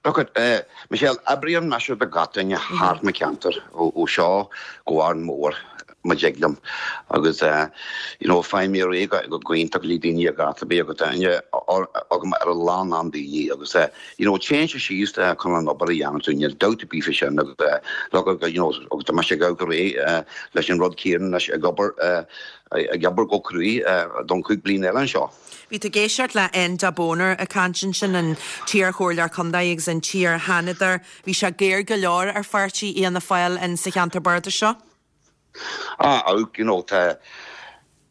Look at Michelle, oibríonn mise do gach duine thart mo cheantar ó seo go Árainn Mhór má thig liom agus you know faighim mé réidh go hiontach le daoine a gach ar bith agus tá aithne agam ar a lán lán daoine agus you know téann sé síos chun an obair a dhéanamh tú níl dabht ar bith faoi sin agus look you know agus tá mise ag gabháil réidh leis an rud céanna leis ag obair ag obair go cruaidh don cúig bliana eile anseo. Bhí tú ag éisteacht le Enda Boner ag caint ansin an t-iarchomhairleoir contae agus an t-iar-sheanadóir. Bhí sé géar go leor ar pháirtí Fhianna Fáil in sa cheantar bardais seo? Ah, ach, you know, tá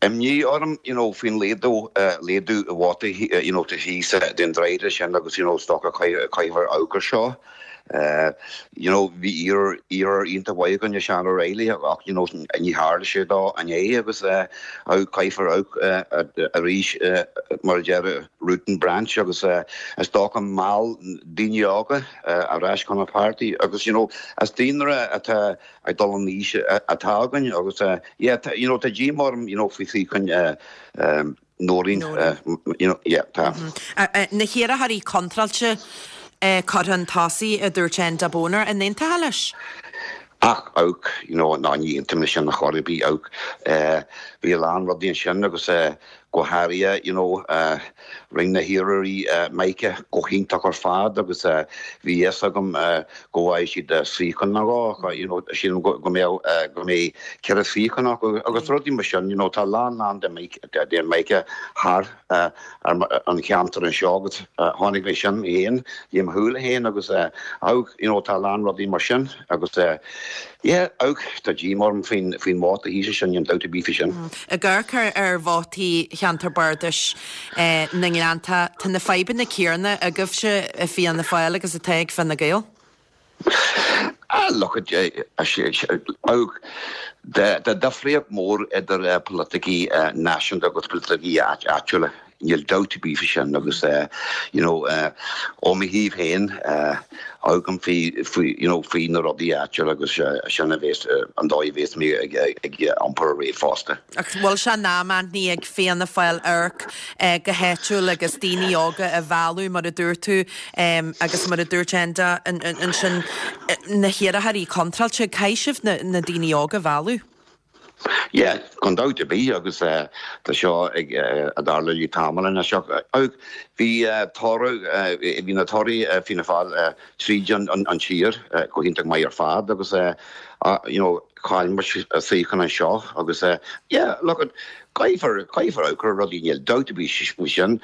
imní orm, you know, faoin laghdú laghdú i vótaí, you know, thíos den dréide sin agus, you know, is dócha caithfear amharc air seo. You know, bhí iarrthóir iontach mhaith againne, Seán O'Reilly, ach, you know, ní tharla sé dó inné agus caithfear amharc arís mar a deir root and branch agus is dócha mheall daoine óga ar ais chun an pháirtí agus, you know, is daonra atá ag dul in aois atá againn agus yeah, you know, tá díomá orm, you know, faoi shuíochán Nóirín, you know, yeah, tá. Na hiarrthóirí contráilte curtha chun tosaigh, a dúirt Enda Boner, an aontófá leis? Ach, ach, you know, ná ní aontaím leis sin ar chor ar bith, ach bhí a lán rudaí ansin agus go háirithe, you know, rinne na hiarrthóirí Mica go hiontach ar fad agus bhí fhios agam go bhfaighidh siad suíochán nó dhó, you know, sílim go mbeadh, go mbeidh ceithre shuíochán acu agus rudaí mar sin, you know, tá a lán lán de de Mica thar an cheantar anseo agus chonaic mé sin féin le mo shúile féin agus ach, you know, tá a lán rudaí mar sin agus yeah, ach tá díomá orm faoin faoin vóta thíos sin, níl dabht ar bith faoi sin. Ag amharc ar vótaí cheantar bardais na nGleannta, tá na fadhbanna céanna agaibhse i Fianna Fáil agus atá ag Fine Gael? Ah, look at tá difríocht mór idir polaiticí náisiúnta agus polaiticí áitiúla. Níl dabht ar bith faoi sin agus you know ó mo thaobh féin amharcaim faoi faoi you know faoi na rudaí áitiúla agus sin a bhéas an dóigh a bhéas mé ag ag iompar ar aghaidh fosta. Ach bhfuil sé in am Anthony ag Fianna Fáil amharc go háitiúil agus daoine óga a mhealladh mar a dúirt tú agus mar a dúirt Enda ansin na hiarrthóirí contráilte, caithfidh sibh na daoine óga a mhealladh? Yeah, gan dabht ar bith agus tá seo ag tarlú le tamall anois. Bhí toradh, bhí na torthaí Fianna Fáil tríd an tír go hiontach maith ar fad agus you know chaill muid suíochán anseo agus yeah, look at caithfear caithfear amharc ar rudaí níl dabht ar bith faoi sin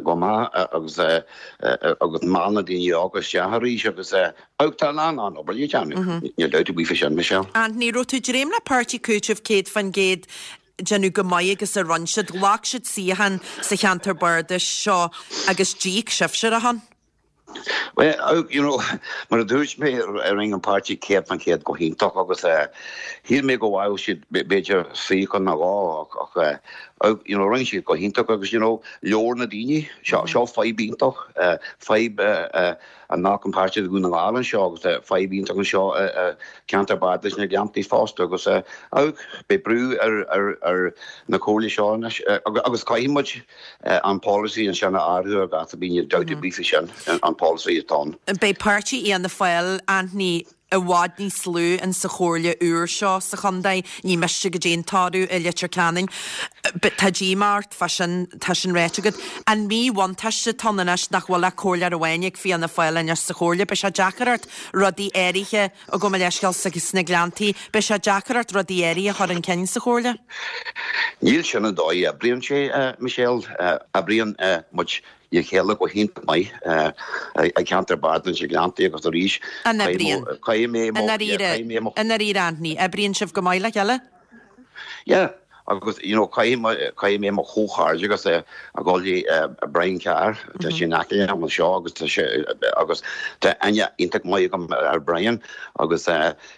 go maith agus agus meall na daoine óga isteach arís agus tá a lán lán obair le déanamh. Níl dabht ar bith faoi sin, Michelle. Anthony, raibh tú ag dréim le Páirtí Cúitimh céad faoin gcéad déanamh go maith agus a rinne siad. Ghlac siad suíochán sa cheantar bardais seo agus d'íoc sibhse a shon. Well, you know, mar a dúirt mé rinne an páirtí céad faoin chéad go hiontach agus shíl mé go bhfaigheadh siad b'fhéidir suíochán nó dhó ach you know, rinne siad go hiontach agus you know, leor na daoine, seo seo fadhb iontach, fadhb a nach an páirtí de Dhún na nGall anseo agus fadhb iontach anseo ceantar bardais na Gleanntaí fosta agus beidh brú ar ar ar na comhairlí seo anois agus caithfidh muid an polasaí ansin a athrú ar gach bíonn dabht ar bith faoi sin an polasaí atá ann. Beidh páirtí Fhianna Fáil, Anthony, i bhfad níos lú in sa chomhairle úr seo sa chontae, ní miste goidé an toradh i Leitir Ceanainn. Tá díomá ort fá sin, tá sin ráite agat. An míbhuntáiste atá ann anois nach bhfuil ach comhairleoir amháin ag Fianna Fáil anois sa chomhairle, beidh sé deacair ort rudaí áirithe, gabh mo leithscéal, sna Gleanntaí, beidh sé deacair ort rudaí áirithe a chur chun cinn sa chomhairle? Níl sin an dóigh a oibríonn sé, Michelle. Oibríonn muid le chéile go hiontach maith i gceantar Bardais na Gleanntaí agus arís An oibríonn? caithfidh mé I ndáiríre, i ndáiríre Anthony, oibríonn sibh go maith le chéile? Yeah, agus you know caithfidh mé caithfidh mé mo chomhghairdeachas a ghabháil le Brian Carr, tá sé in aice liom anseo agus tá sé agus tá aithne iontach maith agam ar Brian agus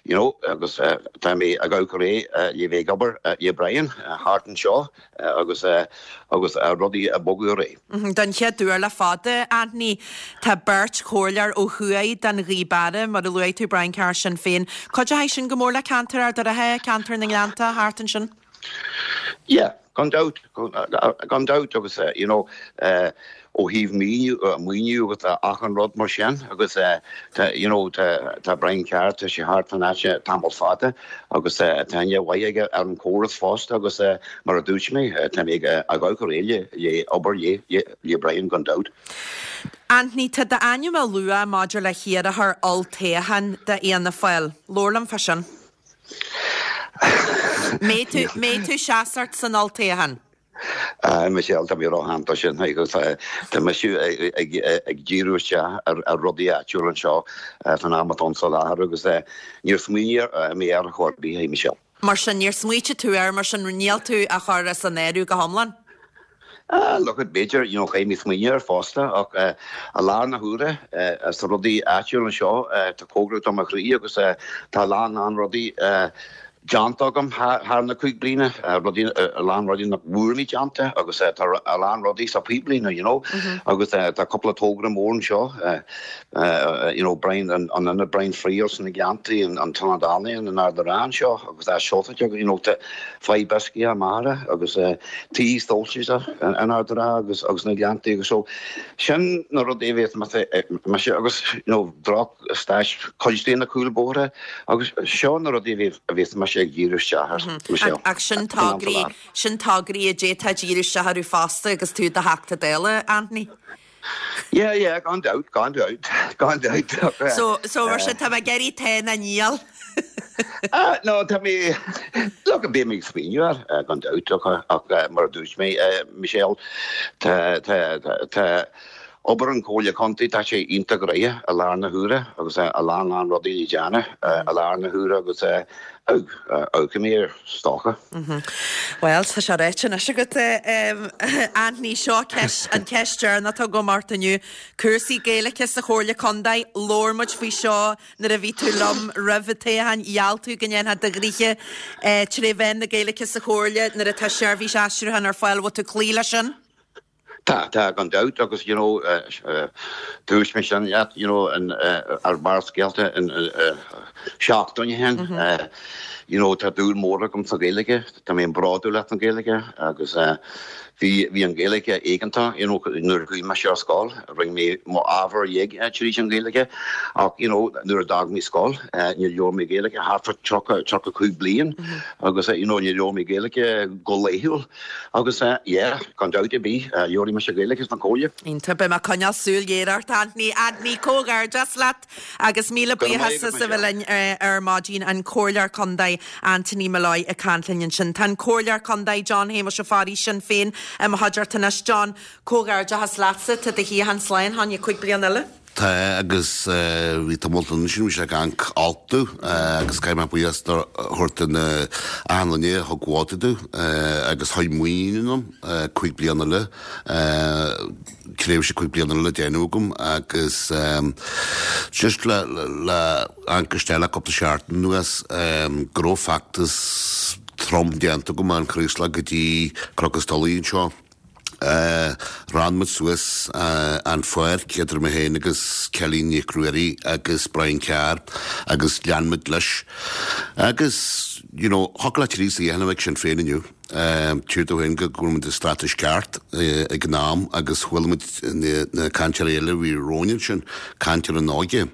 you know agus tá mé ag gabháil réidh le bheith ag obair le Brian thart anseo agus agus rudaí a bogadh ar aghaidh. Don chéad uair le fada, Anthony, tá beirt chomhairleoir ó thuaidh den Ghaoth Beara, mar a luaigh tú, Brian Carr Sinn Féin. Cuideoidh sin go mór le ceantar Ard an Rátha, ceantar na nGleannta thart ansin? Yeah, gan dabht, gan dabht agus you know ó thaobh maoiniú maoiniú agus achan rud mar sin agus tá you know tá tá Brian Carr tá sé thart fan áit tamall fada agus tá aithne mhaith aige ar an chóras fosta agus mar a dúirt mé tá mé ag gabháil réidh le obair le le Brian gan dabht. Anthony, tá d'ainm á lua maidir le hiarrthóir olltoghcháin d'Fhianna Fáil. Labhair liom fá sin. Mbeidh tú mbeidh tú seasmhach san olltoghchán? Michelle tá mé róshean dó sin agus tá mise ag díriú isteach ar rudaí áitiúil anseo fan am atá sa láthair agus níor smaoinigh mé ar chor ar bith, Michelle. Mar sin níor smaoitigh tú air, mar sin níl tú á chur as an áireamh go hiomlán? Look, b'fhéidir you know chaithfidh mé smaoineamh air fosta ach i lár na huaire sa rudaí áitiúil anseo tá cóngarach do mo chroí agus tá a lán lán rudaí déanta agam thar na cúig bliana, rudaí a lán rudaí nach bhfuair mé déanta agus tá a lán rudaí sa pipeline you know agus tá cúpla togra mór anseo you know Brian an an Brian Friel sna Gleanntaí an an tIonad Ealaíon in Ard an Rátha anseo agus tá seolta you know tá fadhb uisce mara agus tí stóilte in Ard an Rátha agus agus na Gleanntaí agus so sin na rudaí a bhéas mise agus you know droch staid cuid de na cúlbhóithre agus seo na rudaí a bhéas mise ag díriú isteach air, Michelle. Ach sin tograí, sin tograí a d'fhéadfá díriú isteach orthu fosta agus tú i do Theachta Dála, Anthony. Yeah, yeah, gan dabht, gan dabht, gan dabht. So, so mar sin tá mé ag iarraidh tá nó níl. Ah, no, tá mé, look, beidh mé ag smaoineamh air, gan dabht, ach, ach mar a dúirt mé, Michelle, tá, tá, tá obair an Chomhairle Contae, tá sé iontach gnoitheach i lár na huaire agus a lán lán rudaí le déanamh i lár na huaire agus amharcfaidh mé air is dócha. Bhuel, tá sé ráite anois agat, Anthony, seo ceist, an cheist deireanach atá agam ort inniu. Cúrsaí Gaeilge sa Chomhairle Contae, labhair muid faoi seo nuair a bhí tú liom roimh an toghchán, gheall tú go ndéanfá do ghnoithe tré mheán na Gaeilge sa Chomhairle nuair atá seirbhís aistriúcháin ar fáil. Bhfuil tú ag cloí leis sin? Tá, tá, gan dabht agus you know dúirt mé sin leat you know ar Barrscéalta seachtain ó shin you know tá dúil mór agam sa Ghaeilge, tá mé bródúil as an Ghaeilge agus bhí bhí an Ghaeilge éigeantach you know nuair a chuaigh mise ar scoil, rinne mé mo ábhar uilig tríd an Ghaeilge ach you know nuair a d'fhág mé scoil níor labhair mé Gaeilge thart fá tríocha tríocha cúig bliain agus you know níor labhair mé Gaeilge go laethúil agus yeah gan dabht ar bith labharfaidh mise Gaeilge sna comhairle. Iontach, beidh mé ag coinneáil súil ghéar ort Anthony. Anthony, comhghairdeas leat agus míle buíochas as a bheith linn ar maidin an Comhairleoir Contae Anthony Molloy ag caint linn ansin. Tá an Comhairleoir Contae John Shéamuis Ó Fearraigh Sinn Féin i mo chuideachta anois. John, comhghairdeachas leatsa, tá do shuíochán slán fá choinne cúig bliana eile. Tá agus bhí tamall ansin bhí sé ag amharc olc domh agus caithfidh mé buíochas a thabhairt do na achan duine a thug vóta domh agus chuir muinín ionam cúig bliana eile, tréimhse cúig bliana eile le déanamh agam agus just le le amharc isteach le cúpla seachtain anuas go raibh feachtas trom déanta agam ón Chraoslach go dtí Cnoc an Tulaigh anseo. Rann muid suas an pháirc idir mé féin agus Kelly Nic Ruairí agus Brian Carr agus lean muid leis. Agus, you know, thiocfadh le trí suíochán a bheith ag Sinn Féin inniu. Tír dó féin go bhfuil muid i stádas ceart ag an am agus chuala muid na cainteoirí eile a bhí romhainn ansin caint ar an óige.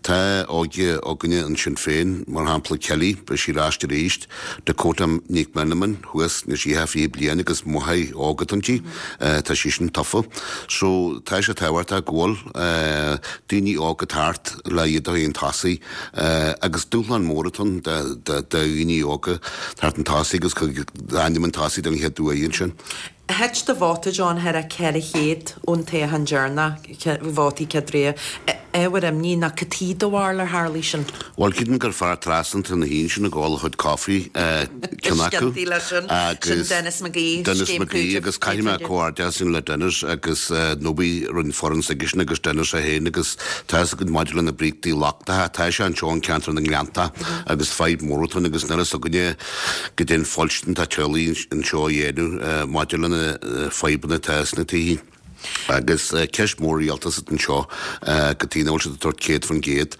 Tá óige againne in Sinn Féin, mar shampla Kelly, beidh sí ar ais arís, Dakota Nic Meanman thuas, níl sí ach fiche bliain agus máthair óg atá inti, tá sí sin tofa. So tá sé tábhachtach go bhfuil daoine óga thart le iad a chur chun tosaigh agus dúshlán mór atá ann do dhaoine óga thart chun tosaigh agus d'ainm chun tosaigh don chéad uair ansin. Thit do vóta, John, thar a ceithre chéad ón toghchán deireanach, vótaí céad ré. Ábhar imní ná cad chuige do bharúil ar tharlaigh sin? Bhuel, creidim gur fear trasna na haon sin ag ól a chuid coffee, ceann acu. Scinntaí leis sin. Sin Denis McGee, Denis Scéim McGee Cúitimh agus caithfidh mé céad faoin gcéad. comhghairdeas sin le Denis agus nó bhí roinnt foireann s'aigesean agus Denis é féin agus tá fhios againn maidir le na bríochtaí lochtacha, tá sé anseo in ceantar na nGleannta agus fadhb mór atá ann agus níl fhios againne goidé an fhoilstean atá teaghlaigh anseo a dhéanamh maidir le na fadhbanna atá sna tithe. Agus ceist mór rialtais atá anseo cad chuige nach bhfuil siad ag tabhairt céad faoin gcéad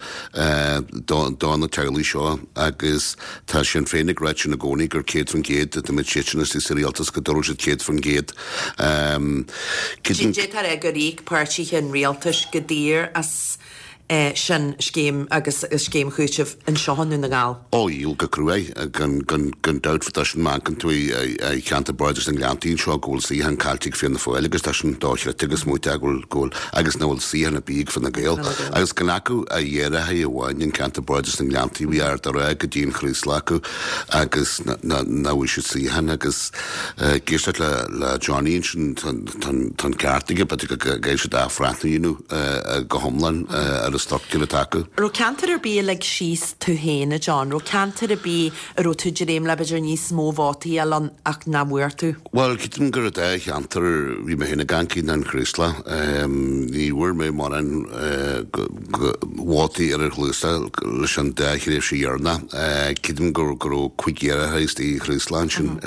do na teaghlaigh seo agus tá Sinn Féin ag ráit sin i gcónaí gur céad faoin gcéad dá mbeadh siadsan istigh sa rialtas go dtabharfadh siad céad faoin gcéad. D'fhéadfá a rá gur íoc páirtithe an rialtais go daor as sin scéim agus scéim chúitimh anseo i nDún na nGall. Ó, íoc go cruaidh, gan gan dabht tá sin má amharcann tú i cheantar Bardais na nGleanntaí anseo go bhfuil suíochán caillte ag Fianna Fáil agus tá sin dochreidte agus smaointe go bhfuil go bhfuil agus nach bhfuil suíochán ar bith ag Fine Gael. Agus gan acu ach iarrthóir amháin in ceantar Bardais na nGleanntaí bhí Ard a' Rátha go dtí an Chraoslach acu agus nach bhfuil siad suíochán agus ag éisteacht le le Johnny ansin tá tá an ceart aige b'fhéidir go gcaithfidh siad athbhreathnú a dhéanamh go hiomlán ar an struchtúr atá acu. Raibh ceantar ar bith a lig síos tú féin, a John? Raibh ceantar ar bith a raibh tú ag dréim le b'fhéidir níos mó vótaí a fháil ann ach nach bhfuair tú? Bhuel, creidim gur an dá cheantar bhí mé féin ag amharc ná an Chraoslach. Ní bhfuair mé mórán vótaí ar an Chraoslach leis an dá thréimhse dheireanach. Creidim go raibh cúig iarrthóir istigh i Chraoslach ansin,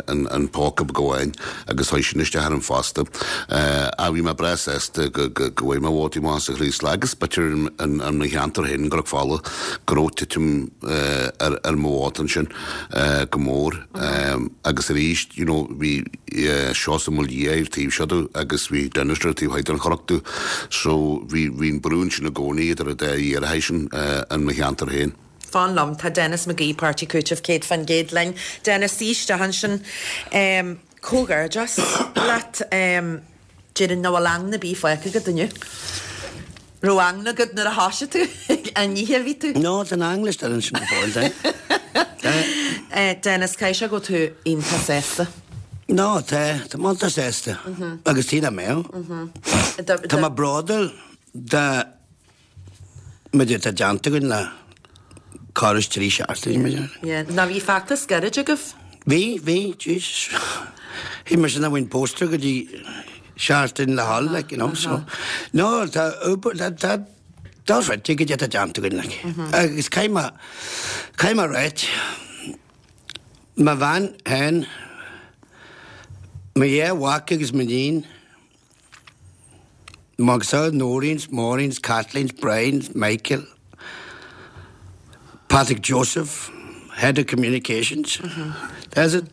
an póca beag amháin agus chuaigh sin isteach orm fosta. Ach bhí mé breá sásta go bhfuair mé vótaí maithe sa Chraoslach agus b'fhéidir in mo cheantar féin, i gCnoc Fola, go raibh titim ar mo vóta ansin go mór. Agus arís, you know, bhí Seosamh Mac Lia ar taobh seo domh agus bhí Denis ar taobh thoir den chnoc domh. So bhí bhí an brú ansin i gcónaí idir an dá iarrthóir sin in mo cheantar féin. Fan liom, tá Denis McGee, Páirtí Cúitimh céad faoin gcéad linn. Denis, suigh isteach ansin. Comhghairdeas leat. Déarfainn nach bhfuil eangna ar bith fágtha agat inniu. Raibh eangna agat nuair a thoisigh tú an oíche a bhí tú? No, tá an eangna still ansin go fóill, tá. Denis, caithfidh sé go bhfuil tú iontach sásta. No, tá, tá mé iontach sásta. Agus tí nach mbeadh. Tá mé bródúil de muid atá déanta againn le corradh is trí seachtaine, b'fhéidir. Yeah, ná bhí feachtas gairid agaibh? Bhí, bhí, jeez. Bhí mar sin a bhain póster go dtí seachtain le hal, like, you know, so. No, tá, tá, tá, dochreidte goidé atá déanta againn, like. Agus caithfidh mé, caithfidh mé a ráit, mo bhean féin, mo dhá mhac agus m'iníon, Maxa, Noreen's, Maureen's, Kathleen's, Brian's, Michael, Patrick Joseph, Head of Communications. That's it.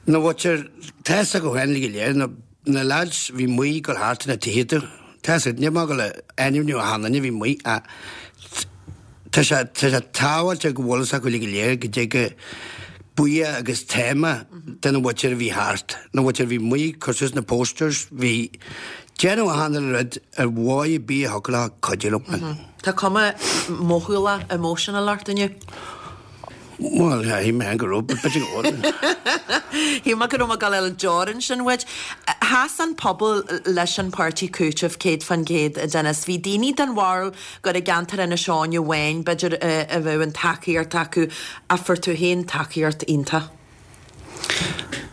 Na bhfuil tá go hen go léir na na lads bhí amuigh ag gabháil thart na tithe. Tá níl mé ag gabháil a ainmniú achan duine bhí amuigh a Tá sé tá sé tábhachtach go bhfuil acu go léir go dtig go buíoch agus téama den mhuintir a bhí thart, na mhuintir a bhí amuigh ag cur suas na posters, bhí déanamh achan rud ar mhaith ar bith a thiocfadh leo cuidiú liom. Tá cuma mothúla emotional ort inniu. Bhuel, shíl mé go raibh, but b'fhéidir go bhfuil. Shíl mé go raibh mé ag dul ar an deoir sin uait. Sheas an pobal leis an páirtí cúitimh céad fan gcéad, a Dennis. Bhí daoine den bharúil gur i gceantar Inis Eoghain amháin, b'fhéidir, a bheadh an tacaíocht acu, ach fuair tú féin tacaíocht iontach.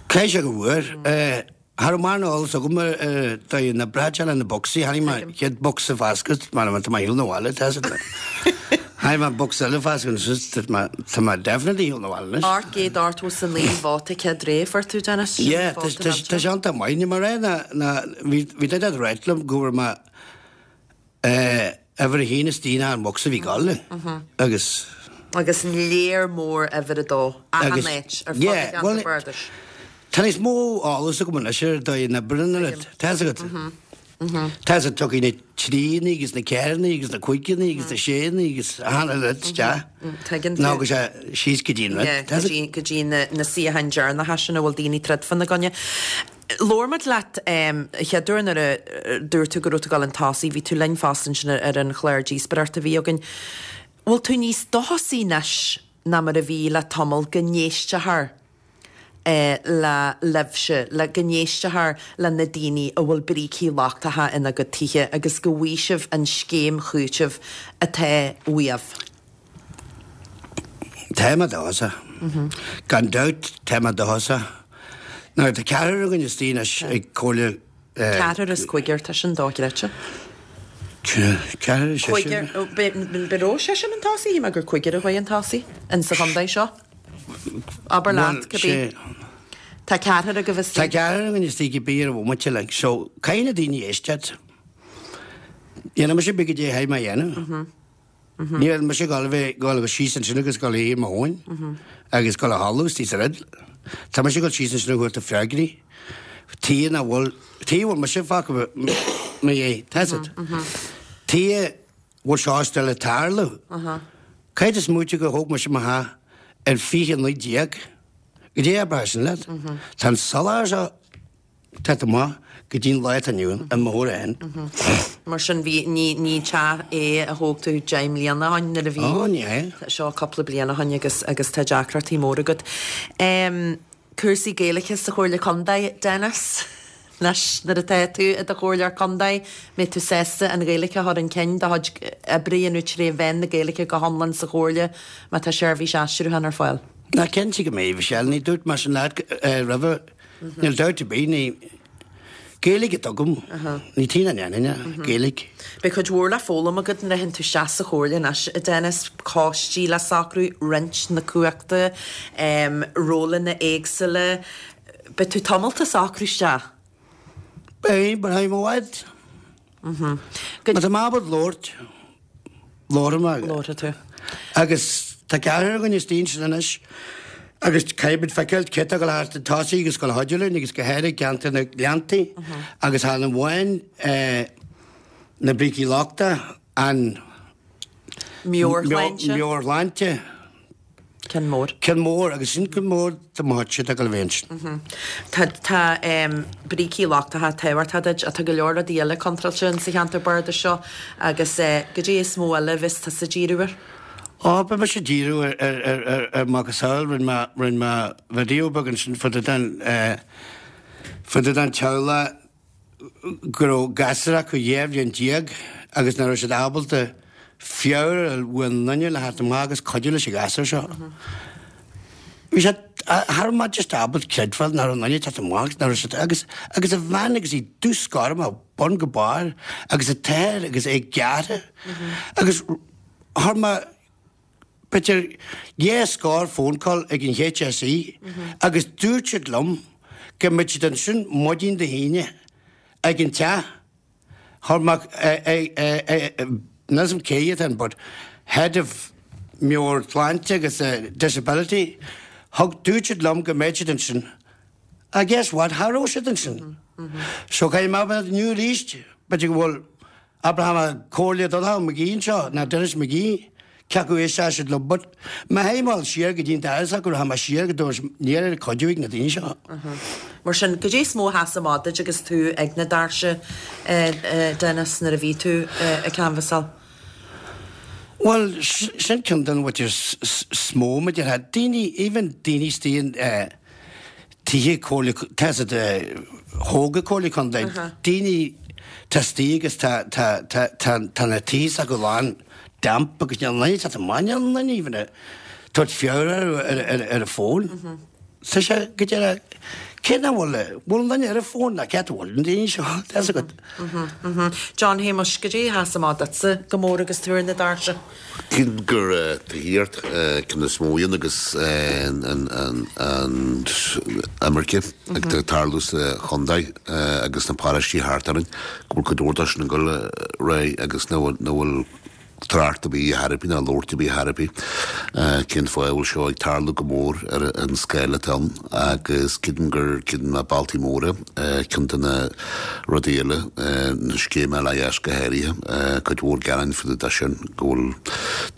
Caithfidh sé go bhfuair. Cha raibh mórán eolas agam ar dóigh na braiteála na bocsaí. Tháinig mé chéad bocsa foscadh mar tá mé shiúl na bhaile tá Tháinig mé bocsa eile foscadh anois tá mé tá mé definitely shiúl na bhaile anois. Ocht gcéad ochtó is a naoi vóta céad ré fuair tú Dennis? Sin Yeah, tá vóta tá tá sé iontach maith. Ní mar é ná ná bhí bhí duine ag ráit liom go bhfuair mé eh uimhir a haon istigh ná an bocsa a bhí ag dul agus Agus léar mór uimhir a dó achan agus áit ar fud an yeah, cheantair bhuel bardais. Tá níos mó eolas agam anois ar dóigh na oibre an rud. Tá fhios agat. Tá fhios agat tiocfaidh na tríanna agus na ceathranna agus na cúigeanna agus na séanna agus achan rud isteach. Tuigeann tú. Nó go sé síos go dtí an rud. Yeah, Tá go fhios dtí go dtí na na suíocháin deireanacha sin a bhfuil daoine troid fána gcoinne. Labhair muid leat an chéad uair nuair a dúirt tú go raibh tú ag dul chun tosaigh, bhí tú linn fosta ansin ar an chlár díospóireachta a bhí againn. Bhfuil tú níos dóchasaí anois ná mar a bhí le tamall go n-éisteofar le libhse, le go n-éisteofar le na daoine a bhfuil brící lochtacha ina gcuid tithe agus go bhfaighidh sibh an scéim chúitimh atá uaibh? Tá mé dóchasach. Gan dabht tá mé dóchasach. Now tá ceathrar againn istigh anois ag Comhairle Ceathrar is cúigear, tá sin dochreidte. Ceathrar is seisear. Cúigear, an raibh seisear chun tosaigh, shíl mé gur cúigear a chuaigh chun tosaigh in sa chontae seo. Abair leat, cibé. Tá ceathrar agaibh istigh. Tá ceathrar againn istigh cibé ar an bhomaite like so caithfidh na daoine éisteacht. Dhéanfaidh mise cibé goidé a chaithfidh mé a dhéanamh. Níl mise ag dul a bheith ag dul síos ansin agus ag dul a shuí ar mo thóin agus ag dul a chodladh istigh sa rud. Tá mise ag dul síos ansin a thabhairt freagraí. Tithe nach bhfuil, tithe a bhfuil mise fágtha mo dhiaidh, tá fhios agat. Tithe a bhfuil seo still ag tarlú. Caithfidh tú smaoitiú gur thóg mise mo theach ar fiche naoi déag. Goidé a bhraith sin leat? Tá an soláthar seo tagtha amach go dtí an lá atá inniu ann, i mo thuar féin. Mar sin bhí, ní, ní teach é a thóg tú deich mbliana ó shin nuair a bhí. Ó, ní hea. Seo cúpla bliain ó shin agus, agus tá deacrachtaí móra agat. Cúrsaí Gaeilge sa Chomhairle Contae, Dennis? Anois nuair atá tú i do Chomhairleoir Contae, mbeidh tú sásta an Ghaeilge a chur chun cinn, do chuid oibre a dhéanamh tré mheán na Gaeilge go hiomlán sa Chomhairle má tá seirbhís aistriúcháin ar fáil? Ná cinnte go mbeidh, Michelle. Ní dúirt mé sin leat roimhe. Níl dabht ar bith, ní Gaeilge atá agam. Ní tí na ndéanfainn é, Gaeilge. Beidh cuid mhór le foghlaim agat nuair a théann tú isteach sa Chomhairle anois, a Dennis, coistí le socrú, roinnt na cumhachta, rólanna éagsúla. Beidh tú tamalt ag socrú isteach. Beidh, but I'm i bhfad. Má tá mé ábalta labhairt, labharfaidh mé. Labharfaidh tú. Agus tá ceathrar againn istigh ansin anois agus caithfidh muid feiceáil cé atá ag dul thart chun tosaigh agus ag dul a chuidiú linn agus go háirithe i gceantar na Gleanntaí agus chan amháin na brící lochtacha, an Meabhairshláinte. meabhairshláinte. Ceann mór. Ceann mór, agus sin ceann mór do mo chuidse atá ag dul a bheith ansin. Tá, tá brící lochtacha tábhachtach duit ach tá go leor rudaí eile contráilte in sa cheantar bardais seo agus goidé is mó eile a bheas tusa ag díriú air? Ó, beidh mise ag díriú ar, ar, ar, ar, ar macasamhail, rinne mé, rinne mé video beag ansin fá dtaobh den, fá dtaobh den teaghlach go raibh gasúr acu dhá bhliain déag agus nach raibh siad ábalta feabhar a fháil uaidh aon duine le theacht amach agus cuidiú leis an ghasúr seo. Bhí sé, cha raibh mé just ábalta creidbheáil nach raibh aon duine ag teacht amach, nach raibh siad, agus, agus a bhean agus í dubh 's gorm ó bun go barr agus an t-athair agus é gearrtha agus chuir mé b'fhéidir dhá scór phone call ag an HSE agus dúirt siad liom go mbeadh siad ansin maidin Dé hAoine ag an teach. Chuir mé níl a fhios agam cé atá ann but head of meabhairshláinte agus disability thug dúirt siad liom go mbeadh siad ansin. Ah guess what, cha raibh siad ansin. So caithfidh mé a bheith inniu arís, b'fhéidir go bhfuil Abraham Comhairle Donncha McGee anseo, ná Denis McGee, cé acu éistfidh siad liom but má théim mé siar go dtí an dara sac go rachaidh mé siar go dtabharfaidh ní raibh cuidiú ag na daoine seo. Mar sin, goidé is mó a sheas amach duit agus tú ag na doirse, Denis, nuair a bhí tú ag canbhasáil? Bhuel, sin ceann den bhfuil is mó mar déarfá. Daoine, even daoine istigh in tithe comhairle, tá siad thóg an Comhairle Contae, daoine tá istigh agus tá tá tá tá tá na tithe s'acu lán damp agus níl aon duine ag teacht amach, níl aon duine even ag tabhairt feabhar ar ar ar an bhfón. Tá sé go deireadh, cé nach bhfuil, bhfuil an duine ar an bhfón ná cé a bhfuil an daoine seo, tá fhios agat. John Shéamuis, goidé a sheas amach duitse go mór agus tú ar na doirse? Cím gur tithíocht ceann is mó iad agus an imirce ag tarlú sa chontae agus na paróistí thart orainn, go bhfuil cuid mhór de sin ag dul ar aghaidh agus nach bhfuil trácht ar bith ar bith ná labhairt ar bith ar bith cén fáth a bhfuil seo ag tarlú go mór ar an scála atá ann agus creidim gur ceann de na bealtaí móra ceann de na rudaí eile na scéime LIS go háirithe cuid mhór gearáin faoi de sin go bhfuil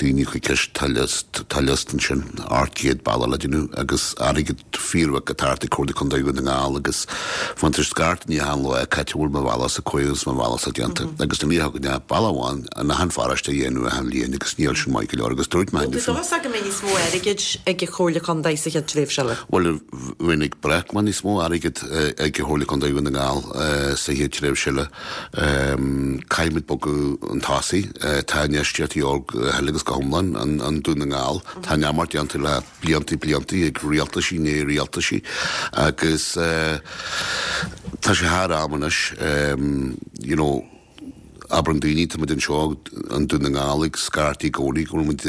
daoine ag cur ceist tá liosta ansin ocht gcéad bealach le déanamh agus airgead fíorbheag ag teacht ag Comhairle Contae Dhún na nGall agus faigheann tú scairt ní achan lá cá háit a bhfuil mo bhealachsa cóirithe agus mo bhealachsa déanta agus ní thugann bealach amháin in achan pharóiste a dhéanamh achan bhliain agus níl sin maith go leor agus dúirt mé Bhuel, tá dóchas go mbeidh níos mó airgid ag an Chomhairle Contae sa chéad tréimhse eile. Bhuel, bheinn ag brath go mbeidh níos mó airgid ag an Chomhairle Contae Dhún na nGall sa chéad tréimhse eile. Caithfimid bogadh chun tosaigh. Tá infheistíocht de dhíobháil go huile agus go hiomlán i nDún na nGall. Tá neamart déanta le blianta blianta ag rialtaisí i ndiaidh rialtaisí agus tá sé thar am anois you know, Abraionn daoine, tá muid anseo i nDún na nGall ag scairtigh i gcónaí go bhfuil muid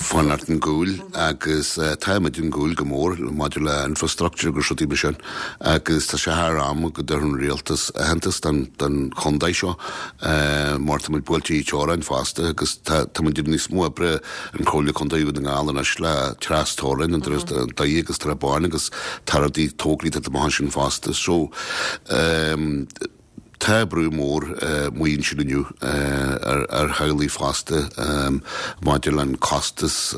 fanacht ar gcúl agus tá muid ar gcúl go mór maidir le infrastructure agus rudaí mar sin agus tá sé thar am go dtabharfadh an rialtas aitheantas don don chontae seo mar tá muid buailte teorainn fosta agus tá tá muid níos mó oibre an Chomhairle Contae Dhún na nGall anois le trasteorainn an Doire agus Trá Báin agus tá rudaí tograí tá amach ansin fosta so Tá brú mór amuigh ansin inniu ar theaghlaigh fosta maidir le an costas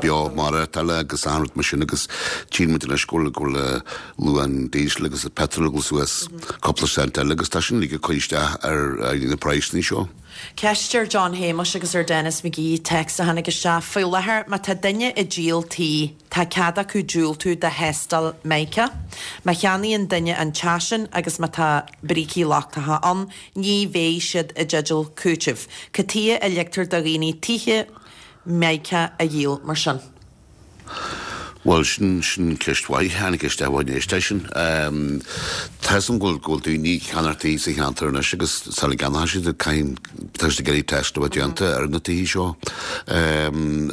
beo maireachtála agus achan rud mar sin agus tchíonn muid anois go bhfuil go bhfuil luach diesel agus petrol ag dul suas cúpla cent eile agus tá sin uilig ag cur isteach ar na praghsanna seo. Ceist ar John Shéamuis agus ar Denis McGee, téacs a tháinig isteach, Faoi láthair, má tá duine ag díol tí, tá cead acu diúltú do thástáil Mica. Má cheannaíonn duine an teach sin agus má tá brící lochtacha ann, ní bheidh siad i dteideal cúitimh. Cad chuige a ligtear do dhaoine tithe Mica a dhíol mar sin? Bhuel, sin, sin ceist mhaith. Tháinig isteach uainn éist é sin. Tá 'fhios a'm go bhfuil, go bhfuil daoine ag ceannach tithe sa cheantar anois agus sula gceannóidh siad caithfidh, tá siad ag iarraidh test a bheith déanta ar na tithe seo.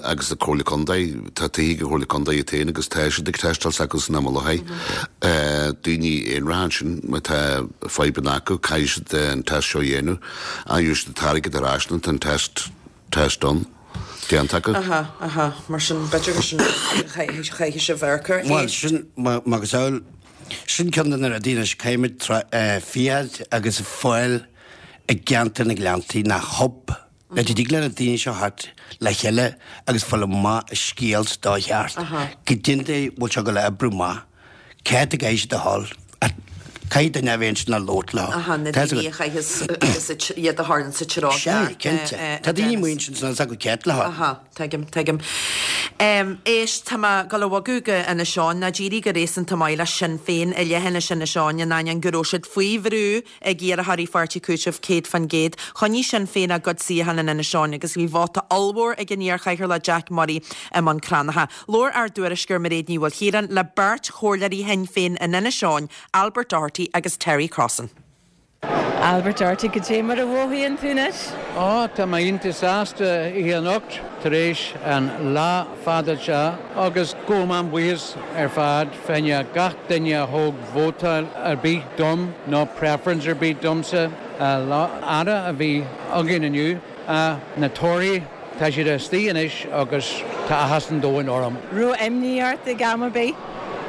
Agus an Comhairle Contae, tá tithe ag an Chomhairle Contae iad féin agus tá siad ag teisteáil s'acu san am i láthair. Daoine aonaracha ansin, má tá fadhbanna acu, caithfidh siad an test seo a dhéanamh. Ach gheobhaidh siad an t-airgead ar ais nuair atá an test, test done. Déanta acu. Aha, aha, mar sin, b'fhéidir gur sin chaithfidh sibh amharc air. Bhuel, sin, macasamhail, sin ceann de na rudaí anois, caithfimid féachaint agus fáil i gceantar na Gleanntaí ná hub le go dtig le na daoine seo theacht le chéile agus fáil amach an scéal sa dóigh cheart. Go dtí bhfuil seo ag dul a oibriú amach. Céard a gcaithfidh siad a dhul? Caithfidh duine a bheith ansin le labhairt leo. Aha, na daoine a chaitheas agus iad a tharlaíonn sa treo Sea, cinnte. Tá daoine amuigh ansin san acu céard le Aha, tuigim, tuigim. Éist, tá mé ag dul a bhogadh go Inis Eoghain, nó d'éirigh go réasúnta maith le Sinn Féin i leithinis Inis Eoghain in ainneoin go raibh siad faoi bhrú ag iarrthóirí Pháirtí Cúitimh céad fán gcéad. Choinnigh Sinn Féin a gcuid suíochán in Inis Eoghain agus bhí vóta ollmhór ag an iar-chathaoirleach Jack Murray i mBun Cranncha. Labhair ár dtuairisceoir Mairéad Ní Mhaoilchiaráin le beirt chomhairleoirí Shinn Féin in Inis Eoghain, Albert Doherty agus Terry Crossan. Albert Doherty, cad é mar a mhothaíonn tú anois? Ó, tá mé iontach sásta oíche anocht tar éis an lá fada seo agus gabhaim an-bhuíochas ar fad fá choinne gach duine a thóg vótáil ar bith dom nó preference ar bith domsa. Lá fada a bhí againn inniu. Na torthaí, tá siad istigh anois agus tá áthas an domhain orm. Raibh imní ort ag am ar bith?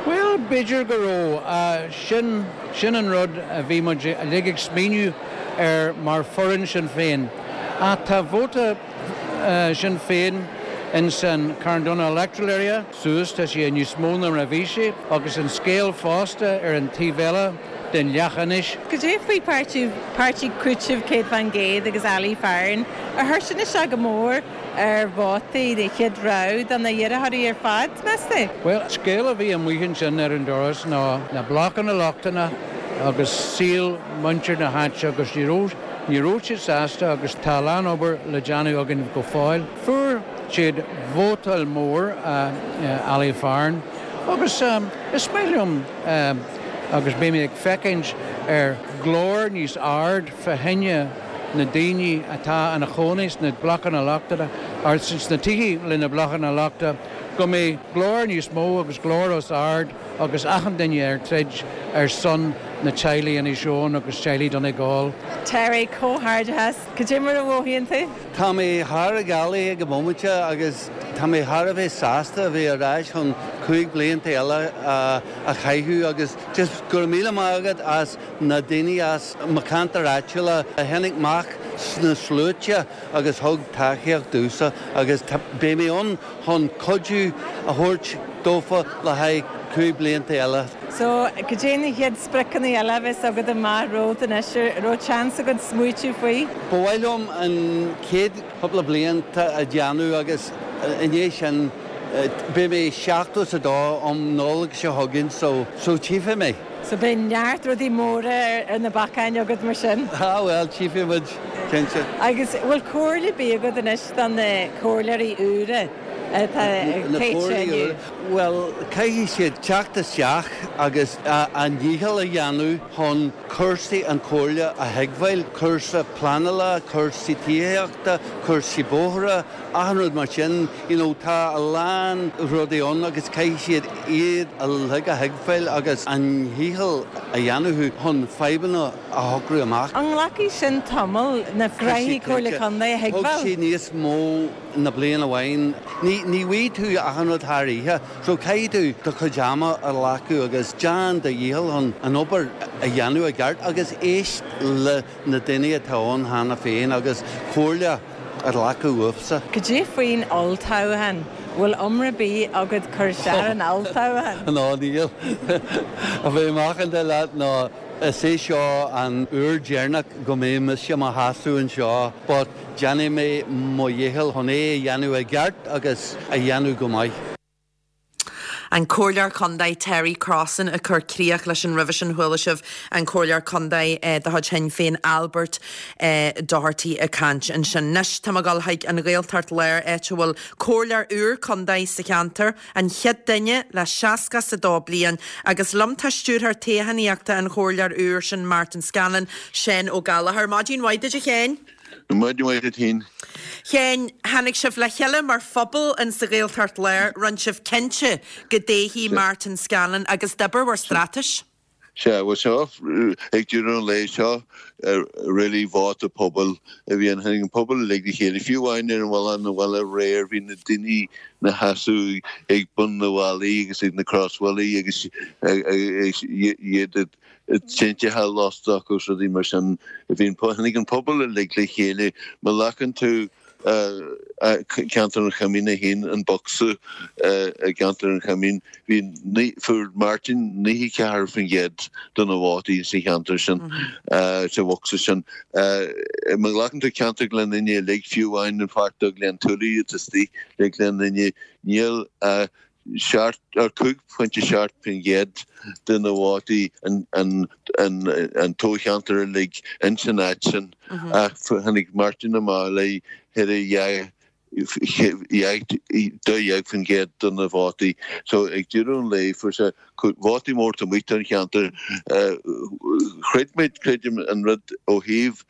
Bhuel, b'fhéidir go raibh. Sin, sin an rud a bhí muid uilig ag smaoineamh air mar foireann Sinn Féin. Ach tá vóta Sinn Féin in san Carndonagh Electoral Area suas, tá sé níos mó ná mar a bhí sé, agus an scéal fosta ar an taobh eile, den Leachinis. Cad é faoi páirtí páirtí Cúiteamh céad faoin gcéad agus Ali Farren ar chuir sin isteach go mór ar vótaí de chéad rogha do na hiarrthóirí ar fad, meas tú? Well, scéal a bhí amuigh ansin ar an doras ná na blocanna lochtanna agus saol muintir na háite agus ní raibh ní raibh siad sásta agus tá a lán obair le déanamh againn go fóill. Fuair siad vótáil mór uh, Ali Farren agus um, is maith liom um, agus beidh mé ag féachaint ar glór níos ard fá choinne na daoine atá ina gcónaí sna blocanna lochtacha ar sna tithe le na blocanna lochta, go mbeidh glór níos mó agus glór os ard agus achan duine ar troid ar son na teaghlaigh Inis Eoghain agus teaghlaigh Donegal. Terry comhghairdeas, cad é mar a mhothaíonn tú? Tá mé thar a ghealaí ag an bhomaite agus tá mé thar a bheith sásta a bheith ar ais chun cúig blianta eile a chaitheamh agus just go raibh míle maith agat as na daoine as mo cheantar áitiúil a tháinig amach sna sluaite agus thug tacaíocht domhsa agus beidh mé ann chun cuidiú a thabhairt dófa le haghaidh cúig blianta eile. So cad é na chéad spriocanna eile a bheas agat amach romhat anois raibh seans agat smaoitiú faoi? Ba mhaith liom an chéad chúpla blianta a dhéanamh agus i ndiaidh sin beidh mé seachtó is a dó um Nollaig seo chugainn so so tchífidh mé. So beidh neart rudaí móra ar na bacáin agat mar sin. Ah well tchífidh muid cinnte. Agus bhfuil comhairle ar bith agat anois don na comhairleoirí úra atá ag Well caithfidh siad teacht isteach agus a ndícheall a dhéanamh chun cúrsaí an chomhairle a thuigbheáil, cúrsa pleanála, cúrsaí tithíochta, cúrsaí bóithre, achan rud mar sin, you know, tá a lán rudaí ann agus caithfidh siad iad uilig a thuigbheáil agus an dícheall a dhéanamh chun fadhbanna a shocrú amach. An nglacfaidh sin tamall na gnóthaí Comhairle Contae a Thug thuigbheáil? sé níos mó na bliain amháin. Ní ní bhfaighidh tú achan rud thar oíche, so caithfidh tú do chuid ama a ghlacadh agus déan do dhícheall chun an obair a dhéanamh i gceart agus éist le na daoine atá ann cheana féin agus comhairle a ghlacadh uathsa. Cad é faoin olltoghchán, bhfuil iomrá ar bith agat cur isteach ar an olltoghchán? Ná níl a bheith macánta leat ná is é seo an uair dheireanach go mbeidh mise i mo sheasamh anseo, but déanfaidh mé mo dhícheall chun é a dhéanamh i gceart agus a dhéanamh go maith. An Comhairleoir Contae Terry Crossan ag cur críoch leis an roimhe sin chuala sibh an Comhairleoir Contae eh, de chuid Shinn Féin Albert eh, Doherty ag caint ansin. Anois tá ag dul chuig an Ghaeltacht Láir áit a bhfuil Comhairleoir úr Contae sa cheantar an chéad duine le seasca is a dó bliain agus liom tá stiúrthóir toghchánaíochta an chomhairleoir úr sin Martin Scanlon Seán Ó Gallchóir. Maidin mhaith duit a Sheáin. Maidin mhaith duit. Sheáin tháinig sibh le chéile mar phobal in sa Ghaeltacht Láir rinne sibh cinnte go dtoghfaí Martin Scanlon agus d'oibir bhur straitéis. Sea well seo ag deireadh an lae seo really vóta pobail a bhí an an pobal le le chéile fiú amháin ar an bhile na bhile réir bhí na daoine ina seasamh ag bun na bhfallaí agus ag na crosbhallaí agus iad tinte losta agus rudaí mar sin bhí tháinig an pobal le le chéile má ghlacann tú ceantar an Choimín féin an bocsa i gceantar an Choimín bhí fuair Martin naocha ceathair faoin gcéad de na vótaí sa cheantar sin sa bhocsa sin. Má ghlacann tú ceantar Ghleann Fhinne uilig fiú amháin an pháirt de Ghleann Túlaí istigh le Gleann Fhinne níl seacht ar cúig pointe seacht faoin gcéad de na vótaí an an an an toghcheantar uilig in san áit sin ach tháinig Martin amach le thar dó dhéag faoin gcéad de na vótaí. So ag deireadh an lae fuair sé vótaí mór amuigh don cheantar chreid muid creidim an rud ó thaobh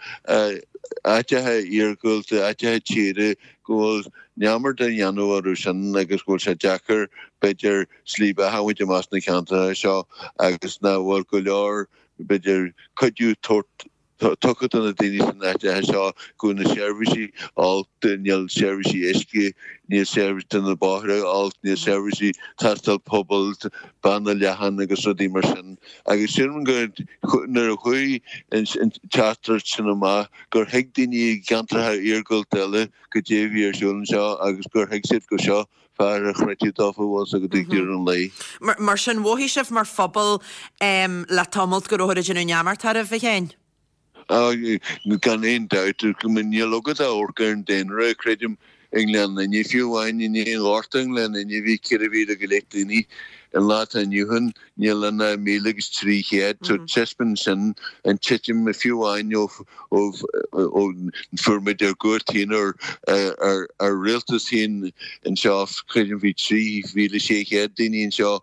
áiteacha iargúlta áiteacha tíre go bhfuil neamart á dhéanamh orthu sin agus go bhfuil sé deacair b'fhéidir slí beatha a bhaint amach sna ceantracha seo agus nach bhfuil go leor b'fhéidir cuidiú tabhairt tugtha do na daoine san áit seo go na seirbhísí olc, níl seirbhísí uisce, níl seirbhís do na bóithre olc, níl seirbhísí tástáil pobail, banna leathan agus rudaí mar sin. Agus sílim go nuair a chuaigh an teachtaireacht sin amach gur thuig daoine i gceantracha iargúlta eile goidé a bhí ar siúl anseo agus gur thuig siad go seo fear a chreidfeadh dófa bhfuil go dtí deireadh an lae. Mar sin mhothaigh sibh mar phobal le tamalt go rabhthar ag déanamh neamart oraibh, a Sheáin? Gan aon dabht, níl agat ach amharc ar an daonra, creidim, i nGleann Fhinne, fiú amháin i ndiaidh an Ghorta i nGleann Fhinne bhí ceithre mhíle go leith daoine. An lá atá inniu ann níl ann ach míle agus trí chéad, so taispeánann sin an titim fiú amháin ó ó fuair muid ár gcúirt féin ár ár rialtas féin anseo, creidim bhí trí mhíle sé chéad daoine anseo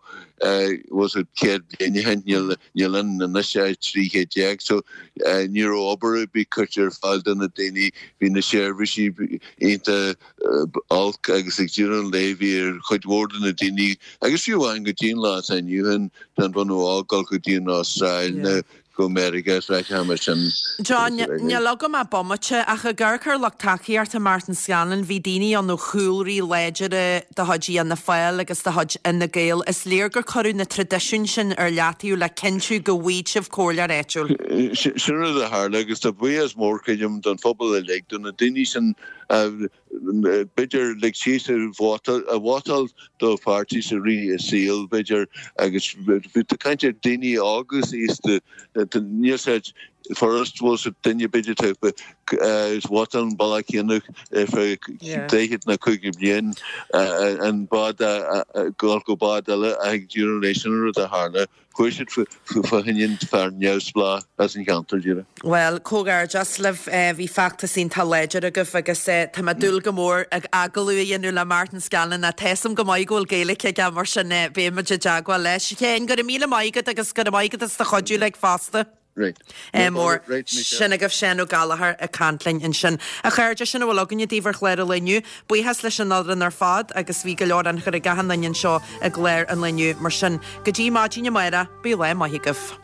was it céad bliain ó shin, níl níl ann anois ach trí chéad déag, so ní raibh obair ar bith curtha ar fáil do na daoine, bhí na seirbhísí iontach olc agus ag deireadh an lae bhí ar chuid mhór de na daoine agus fiú amháin go dtí an lá atá inniu ann tá an bunadh óg dul go dtí an Astráil nó go Meiriceá is áiteacha mar sin. John, níl agam ach bomaite, ach ag amharc ar lucht tacaíochta Martin Scanlon, bhí daoine ann ó chúlraí láidire de chuid Fhianna Fáil agus de chuid Fhine Gael. Is léir gur cuireadh na traidisiúin sin ar leataobh le cinntiú go bhfaighidh sibh comhairleoir áitiúil. Sin rud a tharla agus tá buíochas mór, creidim, don phobal uilig, do na daoine sin a b'fhéidir lig síos a vótáil do pháirtí sa rith a saoil, b'fhéidir, agus tá caint ar daoine óga agus aosta, níl sé furast, bhfuil sa duine b'fhéidir tá vótáil an bealach céanna ar feadh daichead nó caoga bliain, an bád a dhul go bád eile ach ag deireadh an lae sin an rud a tharla. Chuaigh siad fá choinne fear neamhspleách as an cheantar, díreach. Bhuel, comhghairdeas libh, bhí feachtas iontach láidir agaibh agus tá mé ag dúil go mór agallamh a dhéanamh le Martin Scanlon. Tá 'fhios a'm go maith go bhfuil Gaeilge aige mar sin beidh muid i dteagmháil leis. A Sheáin, go raibh míle maith agat agus go raibh maith agat as do chuidiú uilig fosta. Right. Mór. Sin agaibh Seán Ó Gallchóir ag caint linn ansin. A chairde, sin a bhfuil againne daoibh ar chlár an lae inniu. Buíochas leis an fhoireann ar fad agus bhí go leor ionchur ag achan duine anseo i gclár an lae inniu. Mar sin, go dtí maidin amárach, bíodh lá maith agaibh.